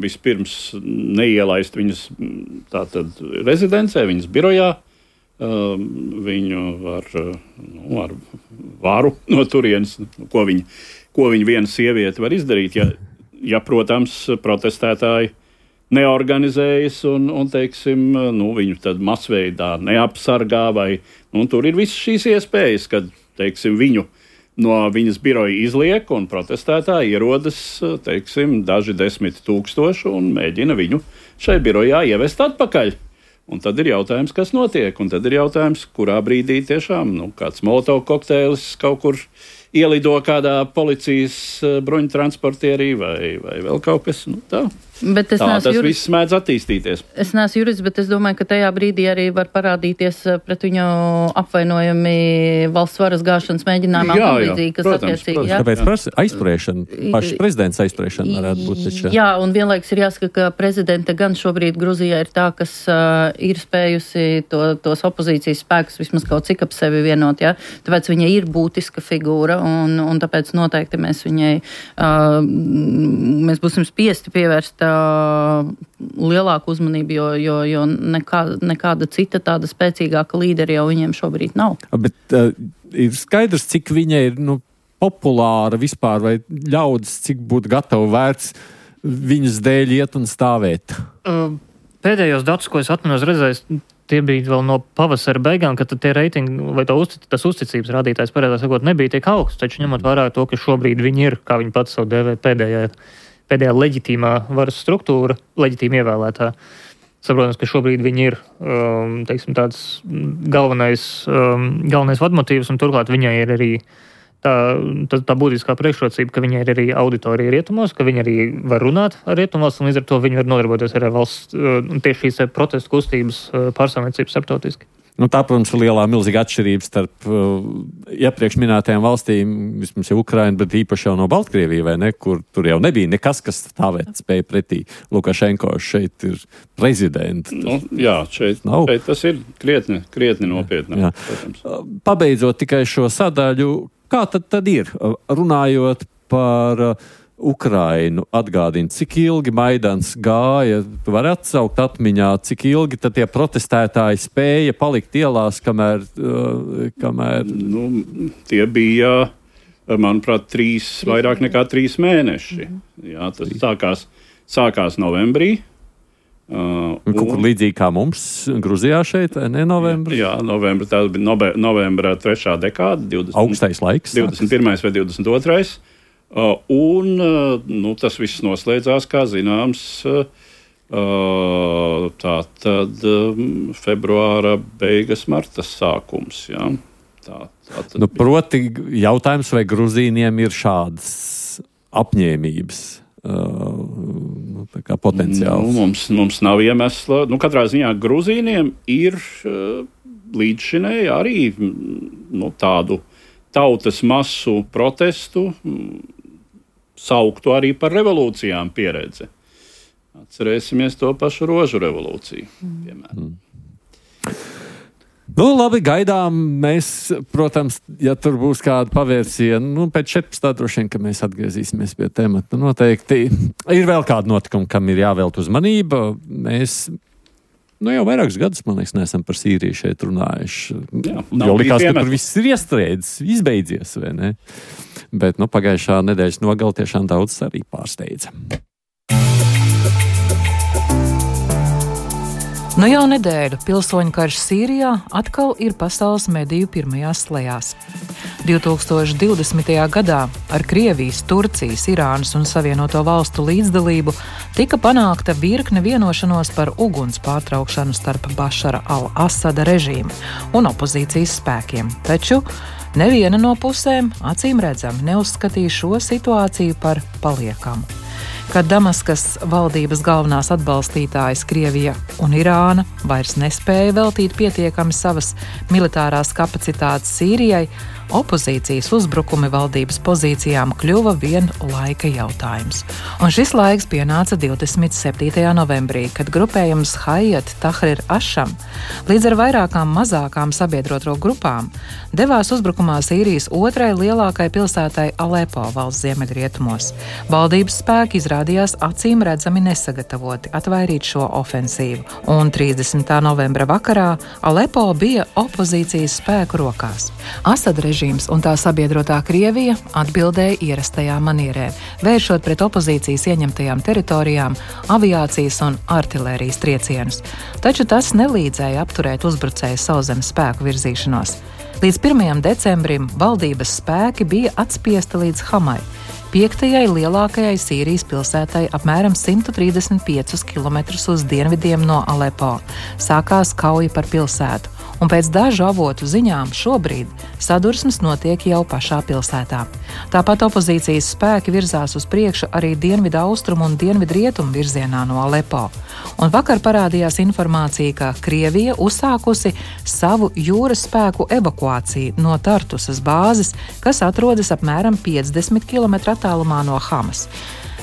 vispirms neielaist viņas tātad rezidencē, viņas birojā. Viņu var ar varu no turienes, ko viņa viena sieviete var izdarīt, ja protams, protestētāji neorganizējas un teiksim, viņu tad masveidā neapsargā vai, tur ir visas šīs iespējas, kad, teiksim, viņu no viņas biroja izliek un protestētāji ierodas, teiksim, daži 10 000 un mēģina viņu šai birojā ievest atpakaļ. Un tad ir jautājums, kas notiek, un tad ir jautājums, kurā brīdī tiešām, kāds Molotov kokteilis kaut kur ielido kādā policijas bruņtransportierī vai vēl kaut kas, tā. Tas viss mēdz attīstīties. Es neesmu jurists, bet es domāju, ka tajā brīdī arī var parādīties pret viņu apvainojumi valsts varas gāšanas mēģinājumā. Protams. Kāpēc aizturēšana, pašs prezidents aizturēšana varētu būt taču? Jā, un vienlaiks ir jāsaka, ka prezidente gan šobrīd Gruzijā ir tā, kas ir spējusi tos opozīcijas spēkus vismaz kaut cik ap sevi vienot, ja? Tāpēc viņa ir būtiska figūra, un tāpēc noteikti mēs viņai, mēs būsim spiesti pievērst lielāku uzmanību, jo nekāda cita tāda spēcīgāka līderi jau viņiem šobrīd nav. Bet ir skaidrs, cik viņa ir populāra vispār, vai ļaudis, cik būtu gatavu vērts viņas dēļ iet un stāvēt? Pēdējos datus, ko es atminos redzējis, tie bija vēl no pavasara beigām, kad tie reitingi vai tas uzticības rādītājs, pareizāk sakot, nebija tiek augsts, taču ņemot vērā to, ka šobrīd viņi ir, kā viņi pats savu dēvē, pēdējā leģitīmā varas struktūra, leģitīma ievēlētā. Saprotams, ka šobrīd viņi ir, tāds galvenais vadmotīvs, un turklāt viņai ir arī tā būtiskā priekšrocība, ka viņai ir arī auditorija rietumos, ka viņi arī var runāt ar rietumos, un līdz ar to viņi var nodarboties ar valsts, tieši šīs protestu kustības pārstāvniecības starptautiski. Tā, protams, ir milzīga atšķirība starp iepriekš minētajām valstīm, vismaz jau Ukraina, bet īpaši jau no Baltkrievija, vai ne, kur tur jau nebija nekas, kas stāvēt spēja pretī Lukašenko. Šeit ir prezidents. Šeit tas ir krietni nopietni. Pabeidzot tikai šo sadaļu, kā tad ir? Runājot par Ukrainu, atgādina, cik ilgi Maidans gāja, tu vari atsaukt atmiņā, cik ilgi tad tie protestētāji spēja palikt ielās, kamēr... Tie bija, manuprāt, vairāk nekā 3 mēneši. Jā, tas sākās novembrī. Kaut kur līdzīgi kā mums Gruzijā šeit, vai ne, novembrī? Jā, novembra, tā bija novembra 3. dekāda. Augstais laiks. 21. vai 22. Tas viss noslēdzās, kā zināms, tātad februāra beigas, marta sākums. Jā. Proti jautājums, vai gruzīniem ir šādas apņēmības? Potenciāls. Mums nav iemesla. Katrā ziņā gruzīniem ir līdzšinēji arī tādu tautas masu protestu sauktu arī par revolūcijām pieredze. Atcerēsimies to pašu rožu revolūciju. Piemēram. Labi, gaidām mēs, protams, ja tur būs kāda pavērsiena, pēc 14. droši vien, ka mēs atgriezīsimies pie temata. Noteikti ir vēl kāda notikuma, kam ir jāvēlt uzmanība. Mēs jau vairākus gadus, man liekas, neesam par Sīriju šeit runājuši. Jo likās, ka tur viss ir iestrēdzis, izbeidzies, vai ne? Bet pagājušā nedēļas nogale tiešām daudz arī pārsteidza. Jau nedēļu pilsoņu karš Sīrijā atkal ir pasaules mediju pirmajās slejās. 2020. gadā ar Krievijas, Turcijas, Irānas un Savienoto valstu līdzdalību tika panākta virkne vienošanos par uguns pārtraukšanu starp Bašara al-Asada režīmu un opozīcijas spēkiem. Taču neviena no pusēm, acīm redzami, neuzskatīja šo situāciju par paliekamu. Kad Damaskas valdības galvenās atbalstītājas Krievija un Irāna vairs nespēja veltīt pietiekami savas militārās kapacitātes Sīrijai, opozīcijas uzbrukumi valdības pozīcijām kļuva vien laika jautājums. Un šis laiks pienāca 27. novembrī, kad grupējums Hayat Tahrir Asham līdz ar vairākām mazākām sabiedroto grupām devās uzbrukumā Sīrijas otrai lielākai pilsētai Alepo valsts ziemeļrietumos. Valdības spēki izrādījās acīm redzami nesagatavoti atvairīt šo ofensīvu, un 30. novembra vakarā Alepo bija opozīcijas spēku rokās. Asad režīms un tā sabiedrotā Krievija atbildēja ierastajā manierē, vēršot pret opozīcijas ieņemtajām teritorijām aviācijas un artilērijas triecienus. Taču tas nelīdzēja apturēt uzbrucēju sauszemes spēku virzīšanos. Līdz 1. decembrim valdības spēki bija atspiesti līdz Hamai, 5. lielākajai Sīrijas pilsētai apmēram 135 km uz dienvidiem no Alepo. Sākās kauja par pilsētu, un pēc dažu avotu ziņām šobrīd sadursmes notiek jau pašā pilsētā. Tāpat opozīcijas spēki virzās uz priekšu arī dienvidu austrumu un dienvidu rietumu virzienā no Alepo. Un vakar parādījās informācija, ka Krievija uzsākusi savu jūras spēku evakuāciju no Tartusas bāzes, kas atrodas apmēram 50 km attālumā no Hamas.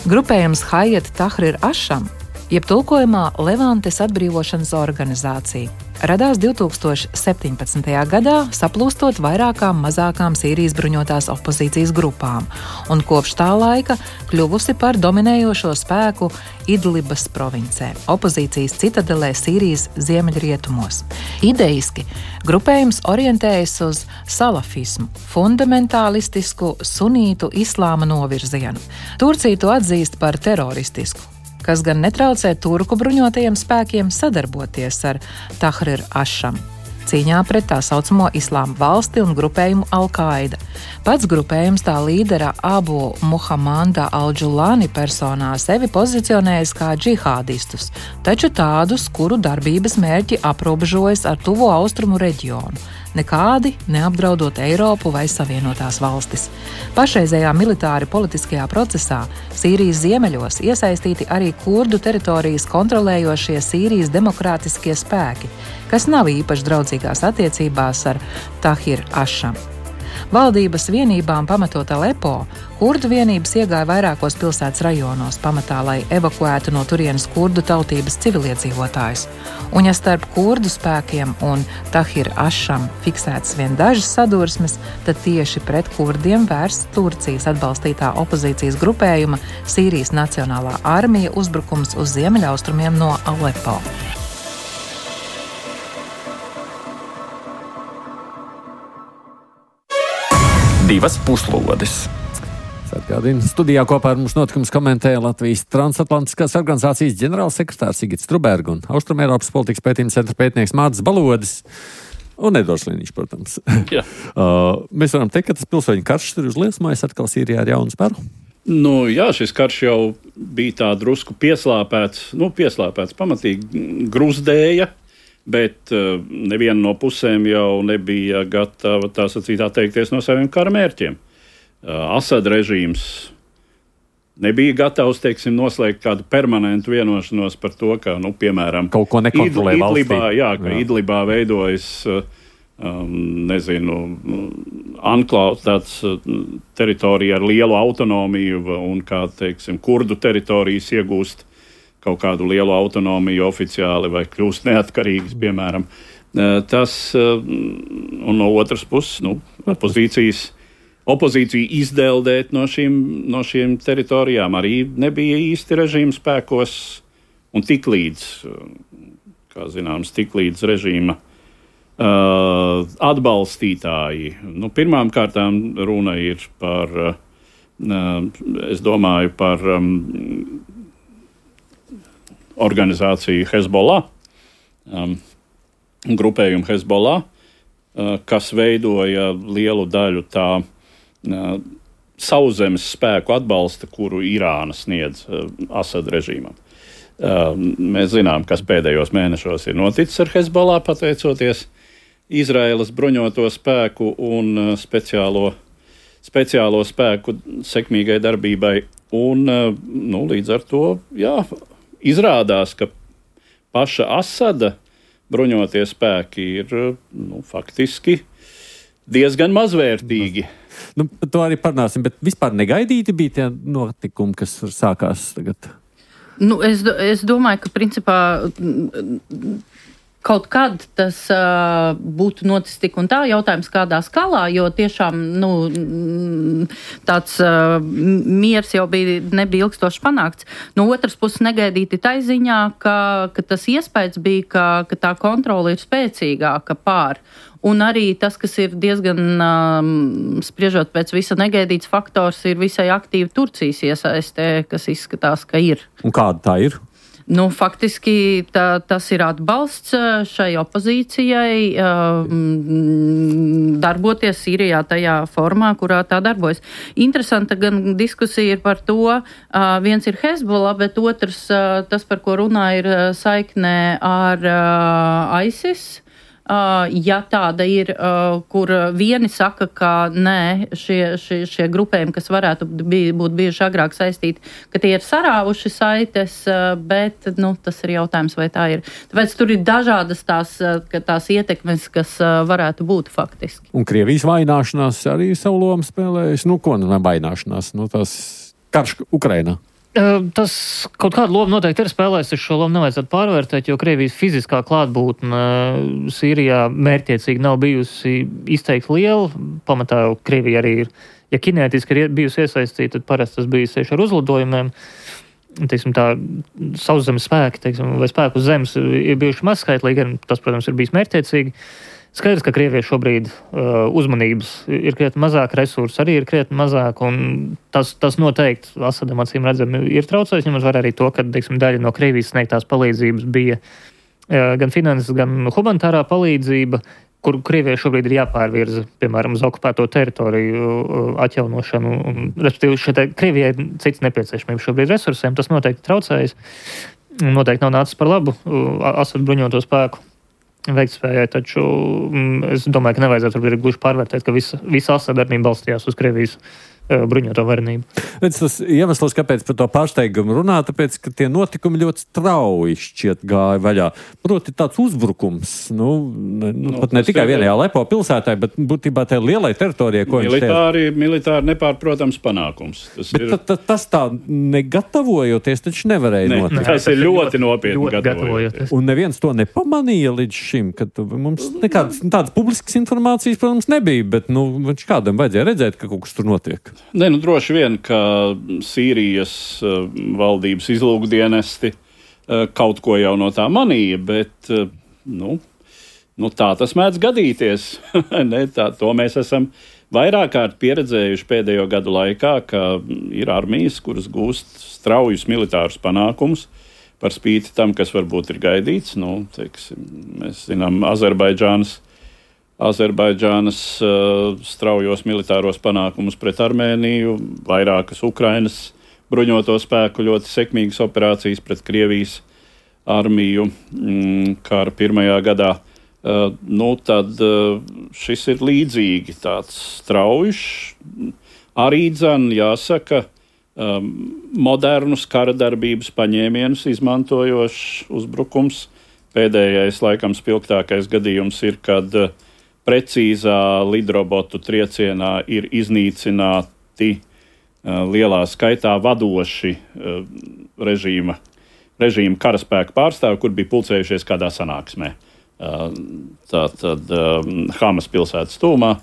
Grupējums Hayat Tahrir Asham, jeb tulkojumā Levantes atbrīvošanas organizācija, radās 2017. gadā, saplūstot vairākām mazākām Sīrijas bruņotās opozīcijas grupām, un kopš tā laika kļuvusi par dominējošo spēku Idlibas provincē, opozīcijas citadelē Sīrijas ziemeļrietumos. Idejiski grupējums orientējas uz salafismu, fundamentālistisku sunītu islāma novirzienu. Turcija to atzīst par teroristisku, kas gan netraucē turku bruņotajiem spēkiem sadarboties ar Tahrir Asham cīņā pret tā saucamo islāma valsti un grupējumu Al-Qaida. Pats grupējums tā līdera Abu Muhammada Al-Džulani personā sevi pozicionējas kā džihādistus, taču tādus, kuru darbības mērķi aprobežojas ar tuvo austrumu reģionu, nekādi neapdraudot Eiropu vai Savienotās valstis. Pašreizējā militāri politiskajā procesā Sīrijas ziemeļos iesaistīti arī kurdu teritorijas kontrolējošie Sīrijas demokrātiskie spēki, kas nav īpaši draudzīgās attiecībās ar Tahrir Asham. Valdības vienībām pamatot Alepo, kurdu vienības iegāja vairākos pilsētas rajonos pamatā, lai evakuētu no turienes kurdu tautības civiliedzīvotājus. Un ja starp kurdu spēkiem un Tahrir Asham fiksētas vien dažas sadursmes, tad tieši pret kurdiem vērsts Turcijas atbalstītā opozīcijas grupējuma Sīrijas Nacionālā armija uzbrukums uz ziemeļaustrumiem no Alepo. Divas puslodes. Atgādina, studijā kopā ar mums notikums komentēja Latvijas Transatlantiskās organizācijas ģenerālsekretārs Sigits Truberga un Austrumēropas politikas pētījuma centra pētnieks Mārcis Balodis un Edvards Liniņš, protams. Mēs varam teikt, ka tas pilsoņu karš ir uzliesmojis atkal Sīrijā ar jaunu spēru? Jā, šis karš jau bija tā drusku pieslāpēts, pamatīgi gruzdēja, bet neviena no pusēm jau nebija gatava tā sacīt atteikties no saviem kara mērķiem. Asad režīms nebija gatavs, noslēgt kādu permanentu vienošanos par to, ka, piemēram, kaut ko nekontrolē valstī. Idlibā veidojas, anklāvs tāds teritorija ar lielu autonomiju un kā, kurdu teritorijas iegūst kaut kādu lielu autonomiju oficiāli vai kļūst neatkarīgas, piemēram. Tas, un no otras puses, opozīciju izdeldēt no šīm teritorijām arī nebija īsti režīma spēkos, un tiklīdz režīma atbalstītāji. Pirmām kārtām runa ir par, es domāju, par organizāciju Hezbollah, grupējumu Hezbollah, kas veidoja lielu daļu tā sauszemes spēku atbalsta, kuru Irāna sniedz Asad režīmam. Mēs zinām, kas pēdējos mēnešos ir noticis ar Hezbollah, pateicoties Izraēlas bruņoto spēku un speciālo spēku sekmīgai darbībai. Un līdz ar to, izrādās, ka paša Asada bruņotie spēki ir faktiski diezgan mazvērtīgi. To arī parunāsim, bet vispār negaidīti bija tie notikumi, kas sākās tagad? Es domāju, ka principā kaut kad tas būtu noticis tik un tā, jautājums kādā skalā, jo tiešām tāds miers jau nebija ilgstoši panākts. No otras puses negaidīti tai ziņā, ka tas iespējas bija, ka tā kontrole ir spēcīgāka pār. Un arī tas, kas ir diezgan, spriežot pēc visa negaidīts faktors, ir visai aktīvi Turcijas iesaistē, kas izskatās, ka ir. Un kāda tā ir? Faktiski tas ir atbalsts šai opozīcijai darboties Sīrijā tajā formā, kurā tā darbojas. Interesanta gan diskusija ir par to, viens ir Hezbollah, bet otrs, tas, par ko runā, ir saiknē ar ISIS. ja tāda ir, kur vieni saka, ka nē, šie grupējumi, kas varētu būt bijuši agrāk saistīti, ka tie ir sarāvuši saites, bet, tas ir jautājums, vai tā ir. Tāpēc tur ir dažādas tās ietekmes, kas varētu būt faktiski. Un Krievijas vaināšanās arī savu lomu spēlējas. Ko vaināšanās? Tās karš Ukrainā. Tas kaut kādu lomu noteikti ir spēlējis, šo lomu nevajadzētu pārvērtēt, jo Krievijas fiziskā klātbūtne Sīrijā mērķiecīgi nav bijusi izteikti liela. Pamatā Krievija arī ir, ja kinētiski ir bijusi iesaistīta, tad parasti tas bijis tieši ar uzlidojumiem. Tā sauszemes spēki, vai spēku uz zemes ir bijuši mazskaitlīgi, tas, protams, ir bijis mērķiecīgi. Skaidrs, ka Krievijai šobrīd uzmanības ir krietni mazāk, resursi arī ir krietni mazāk, un tas noteikti Asadam acīm redzami ir traucējis, ņemot vērā arī to, ka, daļa no Krievijas sniegtās palīdzības bija gan finanses, gan humanitārā palīdzība, kur Krievijai šobrīd ir jāpārvirza, piemēram, uz okupēto teritoriju atjaunošanu, un, respektīvi, šeit Krievijai ir cits nepieciešamības šobrīd resursiem, tas noteikti traucējis, noteikti nav nācis par labu Asad bruņoto spēku veiktspējai, taču es domāju, ka nevajadzētu gluži pārvērtēt, ka visa Asada darbība balstījās uz Krievijas bruņoto varenību. Tas iemesls, kāpēc par to pārsteigumu runā, tāpēc, ka tie notikumi ļoti strauji šķiet gāja vaļā. Proti tāds uzbrukums, pat ne tikai vienajā Alepo pilsētā, bet būtībā tajā lielai teritorijai, ko militāri nepārprotams panākums. Tas tā negatavojoties, taču nevarēja notikt. Tas ir ļoti nopietni gatavojoties. Un neviens to nepamanīja līdz šim, kad mums nekādas tādas publiskas informācijas, protams, nebija, bet kādam vajadzēja redzēt, ka kaut kas tur notiek. Droši vien, ka Sīrijas valdības izlūkdienesti kaut ko jau no tā manīja, bet tā tas mēdz gadīties. To mēs esam vairāk kārt pieredzējuši pēdējo gadu laikā, ka ir armijas, kuras gūst straujus militārus panākumus par spīti tam, kas varbūt ir gaidīts. Mēs zinām Azerbaidžānas straujos militāros panākumus pret Armēniju, vairākas Ukrainas bruņoto spēku ļoti sekmīgas operācijas pret Krievijas armiju kara pirmajā gadā. Tad šis ir līdzīgi tāds straujš, arī jāsaka, modernus kara darbības paņēmienus izmantojošs uzbrukums. Pēdējais, laikam, spilgtākais gadījums ir, kad precīzā lidrobotu triecienā ir iznīcināti lielā skaitā vadoši režīma karaspēku pārstāvi, kur bija pulcējušies kādā sanāksmē. Tātad Hamas pilsētas tūmā,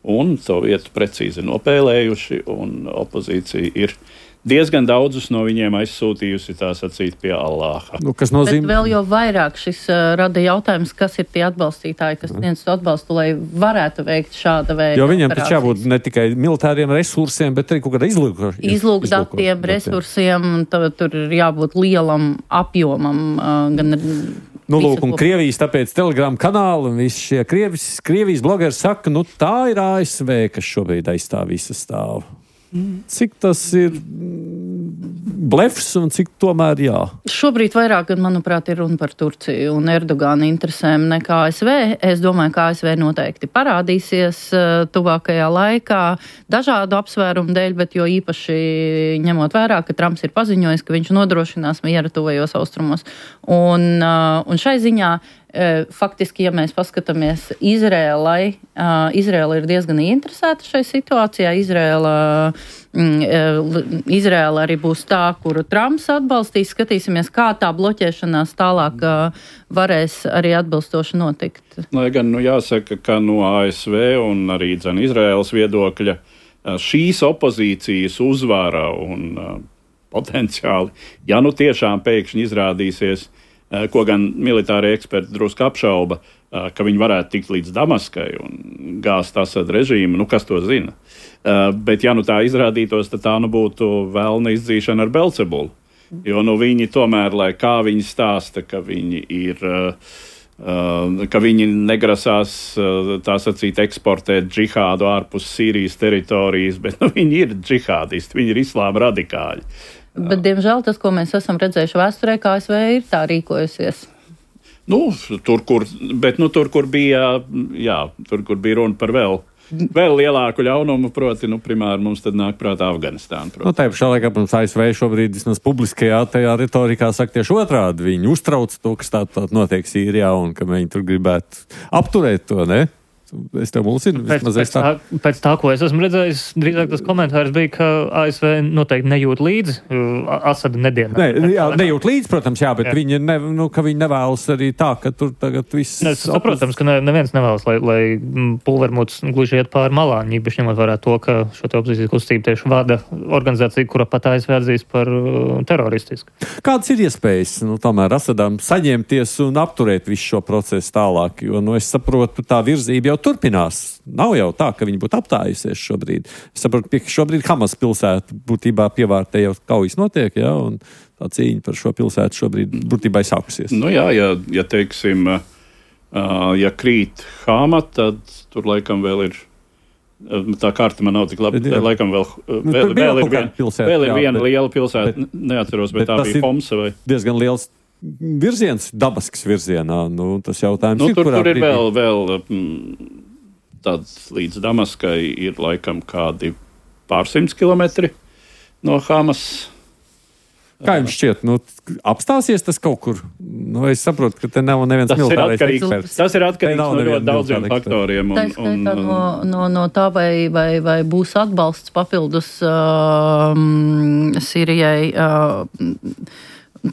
un to vietu precīzi nopēlējuši, un opozīcija ir diezgan daudzus no viņiem aizsūtījusi, tā sacīt, pie Allāha. Kas nozīmē? Bet vēl jau vairāk šis rada jautājums, kas ir tie atbalstītāji, kas sniedz to atbalstu, lai varētu veikt šāda veida jo viņiem taču jābūt ne tikai militāriem resursiem, bet arī kaut kāda izlūkdatiem, resursiem, tur ir jābūt lielam apjomam. Un Krievijas tāpēc Telegram kanāli un visi šie Krievijas blogeri saka, tā ir ASV, kas šobrīd aizstāv visu stāvu. Cik tas ir blefs un cik tomēr jā? Šobrīd vairāk, manuprāt, ir runa par Turciju un Erdogana interesēm nekā ASV. Es domāju, ka ASV noteikti parādīsies tuvākajā laikā dažādu apsvērumu dēļ, bet jo īpaši ņemot vērā, ka Trumps ir paziņojis, ka viņš nodrošinās mieru tuvajos austrumos. Un šai ziņā faktiski, ja mēs paskatāmies Izraela ir diezgan interesēta šai situācijā. Izraela arī būs tā, kuru Trumps atbalstīs. Skatīsimies, kā tā bloķēšanās tālāk varēs arī atbilstoši notikt. Lai gan jāsaka, ka no ASV un arī Izraēlas viedokļa šīs opozīcijas uzvara un potenciāli, ja tiešām pēkšņi izrādīsies, ko gan militārie eksperti drusku apšauba, ka viņi varētu tikt līdz Damaskai un gāzt Asada režīmu, kas to zina. Bet ja tā izrādītos, tad tā būtu vēlna izdzīšana ar Belcebulu. Jo viņi tomēr, lai kā viņi stāsta, ka viņi ir, ka viņi negrasās, tā sacīt, eksportēt džihādu ārpus Sīrijas teritorijas, bet viņi ir džihādisti, viņi ir islāma radikāļi. Bet, diemžēl, tas, ko mēs esam redzējuši vēsturē, kā ASV ir tā rīkojusies. Tur, kur bija runa par vēl lielāku ļaunumu, proti, primāri mums tad nāk prātā Afganistāna. Tā pašā laikā, protams, ASV šobrīd vismaz publiskajā tajā retorikā saka tieši otrādi. Viņi uztrauc to, kas tā notiek Sīrijā un ka viņi tur gribētu apturēt to, ne? Es tev mulsinu. Pēc tā, ko es esmu redzējis, drīzāk tas komentārs bija, ka ASV noteikti nejūt līdzi Asada nedienā. Nejūt līdzi, protams, bet viņi nevēlas arī tā, ka tur tagad viss... Protams, ka neviens nevēlas, lai pulvermuts gluži iet pāri malām, īpaši ņemot vērā to, ka šo te opozīcijas kustību tieši vada organizācija, kura pat ASV atzīst par teroristisku. Kādas ir iespējas, tomēr Asadam saņemties un apturēt visu šo procesu tālāk? Jo, es saprotu, tā virzība jau turpinās. Nav jau tā, ka viņi būtu apstājusies šobrīd. Es saprotu, ka šobrīd Hamas pilsēta būtībā pievārtē jau kaujas notiek, un tā cīņa par šo pilsētu šobrīd būtībā sākusies. Ja teiksim, ja krīt Hama, tad tur laikam vēl ir, tā karta man nav tik labi, laikam vēl ir viena liela pilsēta, neatceros, bet tā bija Homsa vai... Diezgan liels virziens, Damaskas virzienā. Tas jautājums ir, kurā tur ir vēl tāds līdz Damaskai ir laikam kādi pārsimts kilometri no Hamas. Kā jums šķiet, apstāsies tas kaut kur? Es saprotu, ka te nav neviens militārais eksperts. Tas ir atkarīgs no ļoti daudziem faktoriem. Tā skaitā no tā, vai būs atbalsts papildus Sīrijai.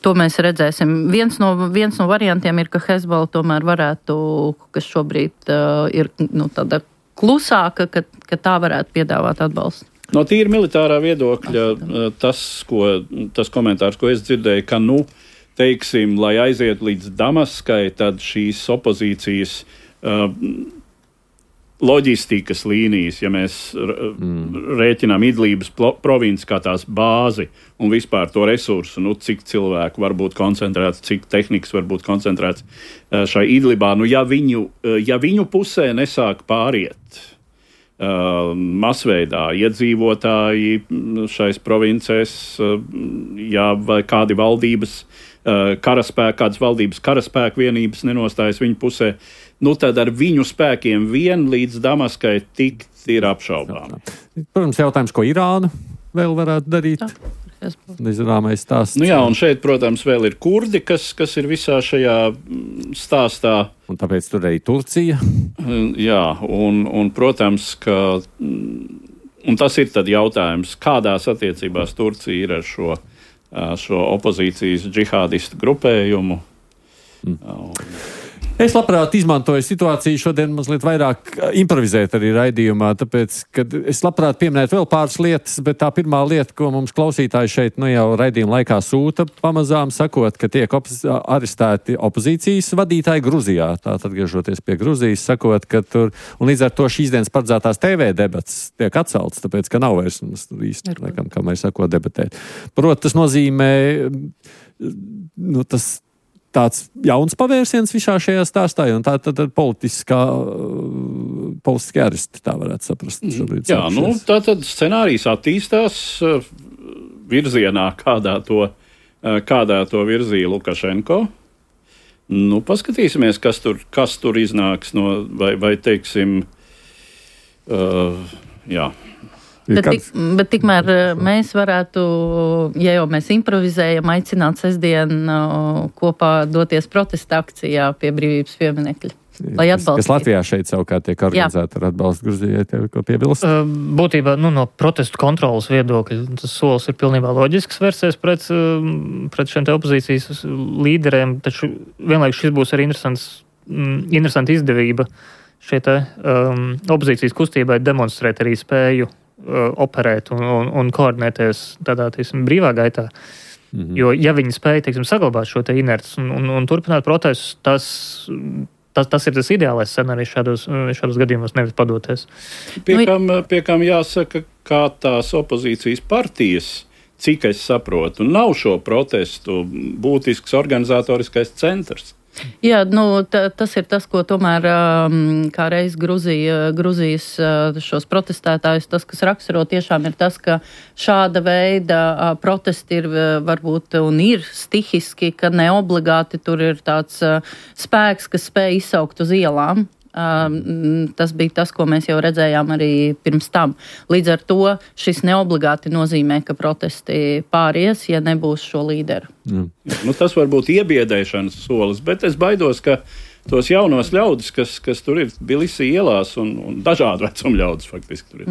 To mēs redzēsim. Viens no variantiem ir, ka Hezbollah tomēr varētu, kas šobrīd ir tāda klusāka, ka tā varētu piedāvāt atbalstu. No tīri militārā viedokļa tas komentārs, ko es dzirdēju, ka, teiksim, lai aiziet līdz Damaskai, tad šīs opozīcijas loģistikas līnijas, ja mēs rēķinām Idlības provinci kā tās bāzi un vispār to resursu, cik cilvēku var būt koncentrēts, cik tehnikas var būt koncentrēts šai Idlibā, ja viņu pusē nesāk pāriet masveidā iedzīvotāji šais provincēs, vai kādi valdības kādas valdības karaspēku vienības nenostājas viņu pusē, tad ar viņu spēkiem vien līdz Damaskai tikt ir apšaubām. Protams, jautājums, ko Irāna vēl varētu darīt? Nezināmais stāsts. Un šeit, protams, vēl ir kurdi, kas ir visā šajā stāstā. Un tāpēc tur arī Turcija. Un protams, ka... Un tas ir tad jautājums, kādās attiecībās Turcija ir ar šo opozīcijas džihādistu grupējumu. Es labprāt izmantoju situāciju šodien mazliet vairāk improvizēt arī raidījumā, tāpēc, kad es labprāt pieminētu vēl pāris lietas, bet tā pirmā lieta, ko mums klausītāji šeit jau raidījuma laikā sūta pamazām, sakot, ka tiek arestēti opozīcijas vadītāji Gruzijā, tātad atgriežoties pie Gruzijas, sakot, ka tur, un līdz ar to šīs dienas paredzētās TV debats tiek atcelts, tāpēc, ka nav vairs īsti, laikam, kā mēs sakot, debatēt. Proti, tas nozīmē, tas tāds jauns pavērsiens visā šajā stāstā, un tā tad politiskie aresti, tā varētu saprast. Tā tad scenārijs attīstās virzienā, kādā to virzīja Lukašenko. Paskatīsimies, kas tur iznāks vai teiksim, Bet tikmēr mēs varētu, ja jau mēs improvizējam, aicināt sestdien kopā doties protesta akcijā pie Brīvības pieminekļa. Lai atbalstītu. Kas Latvijā šeit savukārt tiek organizēta ar atbalstu Gruzijai, tev ko piebilst? Būtībā no protestu kontrolas viedokļa tas solis ir pilnībā loģisks vērsties pret šiem te opozīcijas līderiem, taču vienlaikus šis būs arī interesanta izdevība šie te opozīcijas kustībai demonstrēt arī spēju operēt un koordinēties tādā, brīvā gaitā. Jo, ja viņi spēja, saglabāt šo te inerts un turpināt protestus, tas ir tas ideālais scenārijs šādos gadījumos, nevis padoties. Pie kam jāsaka, kā tās opozīcijas partijas, cik es saprotu, nav šo protestu būtisks organizatoriskais centrs. Jā, tas ir tas, ko tomēr kā reiz Gruzijas šos protestētājus, tas, kas raksturo tiešām ir tas, ka šāda veida protesti ir varbūt un ir stihiski, ka ne obligāti tur ir tāds spēks, kas spēj izsaukt uz ielām. Tas bija tas, ko mēs jau redzējām arī pirms tam. Līdz ar to šis neobligāti nozīmē, ka protesti pāries, ja nebūs šo līderu. Tas var būt iebiedēšanas solis, bet es baidos, ka tos jaunos ļaudis, kas tur ir Bilisī ielās un dažādu vecumu ļaudis faktiski tur ir,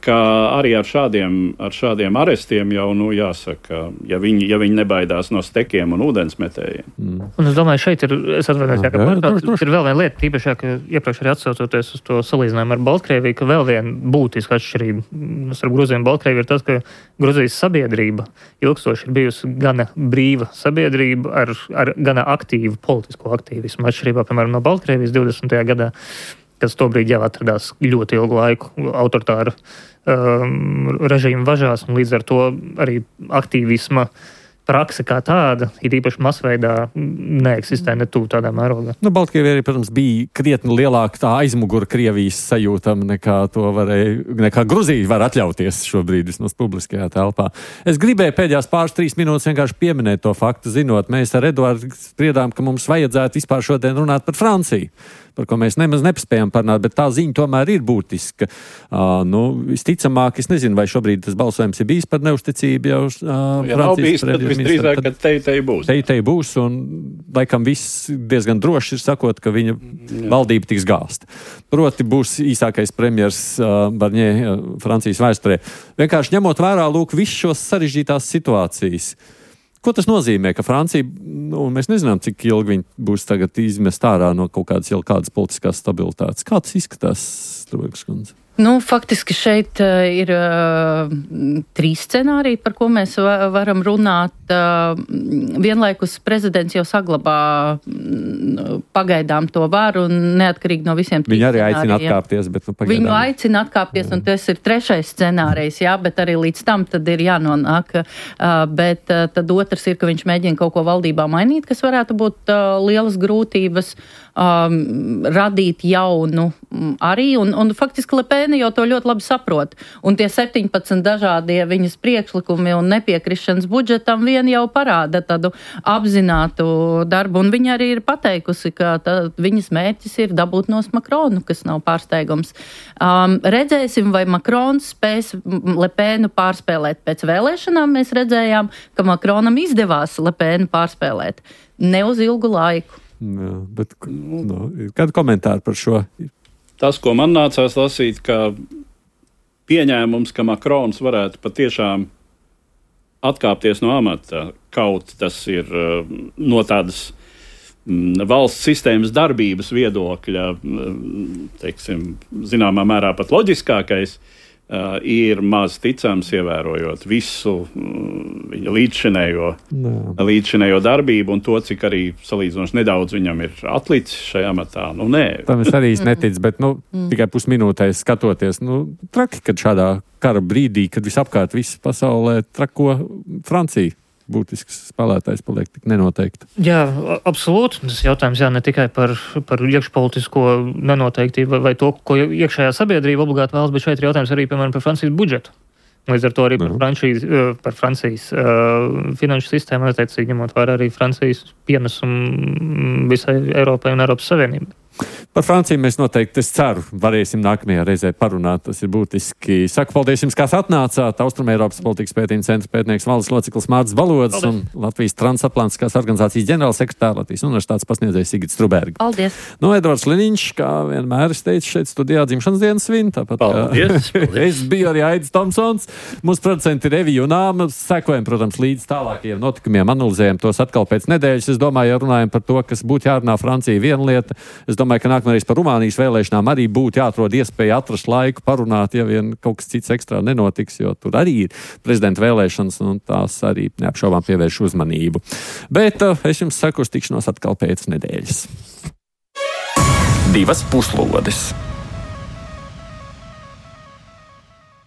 ka arī ar šādiem arestiem jau, jāsaka, ja viņi nebaidās no stekiem un ūdensmetējiem. Un es domāju, šeit es atvainojos, ir vēl viena lieta, tīpaši, ka iepriekš arī atsaucoties uz to salīdzinājumu ar Baltkrieviju, ka vēl viena būtiska atšķirība starp Gruziju un Baltkrieviju ir tas, ka Gruzijas sabiedrība ilgstoši ir bijusi gana brīva sabiedrība ar gana aktīvu politisko aktīvismu. Atšķirībā, piemēram, no Baltkrievijas 20. gadā, kas tobrīd jau atradās ļoti ilgu laiku autoritāru režīmu važās, un līdz ar to arī aktīvisma prakse kā tāda, ir īpaši masveidā, neeksistē ne tuvu tādā mērogā. Baltkrievija arī, protams, bija krietni lielāka tā aizmugura Krievijas sajūtama nekā Gruzija var atļauties šobrīd vismaz publiskajā telpā. Es gribēju pēdējās 3 minūtes vienkārši pieminēt to faktu, zinot, mēs ar Eduardu spriedām, ka mums vajadzētu vispār šodien runāt par Franciju, par ko mēs nemaz nepaspējam parunāt, bet tā ziņa tomēr ir būtiska. Visticamāk, es nezinu, vai šobrīd tas balsojums ir bijis par neusticību jau Francijas visdrīzāk, ka tei būs. Tei būs, un laikam viss diezgan droši ir sakot, ka viņa valdība tiks gāsta. Proti būs īsākais premjers Barņē Francijas vēsturē. Vienkārši ņemot vērā, visus šos sarežģītās situācijas. Ko tas nozīmē, ka Francija, mēs nezinām, cik ilgi viņi būs tagad izmest ārā no kaut kādas politiskās stabilitātes. Kā tas izskatās, Strūvīgas kundze? Faktiski šeit ir 3 scenāriji, par ko mēs varam runāt. Vienlaikus prezidents jau saglabā pagaidām to varu un neatkarīgi no visiem 3 Viņi arī aicina atkāpties, bet pagaidām. Viņu aicina atkāpties, un tas ir 3. scenārijs, bet arī līdz tam tad ir jānonāk. Bet tad otrs ir, ka viņš mēģina kaut ko valdībā mainīt, kas varētu būt lielas grūtības, radīt jaunu arī, un faktiski Le Pen jau to ļoti labi saprot. Un tie 17 dažādie viņas priekšlikumi un nepiekrišanas budžetam vien jau parāda tādu apzinātu darbu, un viņa arī ir pateikusi, ka viņas mērķis ir dabūt nos Makronu, kas nav pārsteigums. Redzēsim, vai Makrons spēs Le Penu pārspēlēt. Pēc vēlēšanām mēs redzējām, ka Makronam izdevās Le Penu pārspēlēt. Ne uz ilgu laiku. Jā, bet kādu komentāru par šo? Tas, ko man nācās lasīt, ka pieņēmums, ka Makrons varētu patiešām atkāpties no amata, kaut tas ir no tādas valsts sistēmas darbības viedokļa, teiksim, zināmā mērā pat loģiskākais, ir maz ticams, ievērojot visu viņa līdzšinējo darbību un to, cik arī salīdzinoši nedaudz viņam ir atlicis šajā matā. Tam es arī neticu, bet tikai pusminūtē skatoties, traki, kad šādā kara brīdī, kad visapkārt viss pasaulē trako Francija. Būtisks spēlētājs paliek tik nenoteikti. Jā, absolūti. Tas jautājums ne tikai par iekšpolitisko nenoteiktību vai to, ko iekšējā sabiedrība obligāti vēlas, bet šeit ir jautājums arī, piemēram, par Francijas budžetu. Līdz ar to arī par Francijas finanšu sistēmu, attiecīgi ņemot vērā arī Francijas pienesumu visai Eiropai un Eiropas Savienībai. Par Franciju mēs noteikti, es ceru, varēsim nākamajā reizē parunāt. Tas ir būtiski. Saku paldies jums, kas atnācāt. Austrumeiropas politikas pētījuma centra pētnieks valdes loceklis Mārcis Valods un Latvijas transatlantiskās organizācijas ģenerālsekretārs Latvijas universitātes pasniedzējs Sigits Struberga. Paldies. Edvards Liniņš, kā vienmēr es teicu, šeit studijā dzimšanas dienas svin. Tāpat paldies. Es biju arī Aidis Tomsons. Mūsu producenti Revija un Āma. Sekojam, protams, līdz tālākajiem notikumiem, analizējam tos atkal pēc nedēļas. Es domāju, ja runājam par to, kas būtu jārunā Francija viena lieta. Es domāju, ka nākamreiz par Rumānijas vēlēšanām arī būtu jāatrod iespēja atrast laiku parunāt, ja vien kaut kas cits ekstrā nenotiks, jo tur arī ir prezidenta vēlēšanas, un tās arī neapšaubām pievērš uzmanību. Bet es jums saku uz tikšanos atkal pēc nedēļas. 2 puslodes.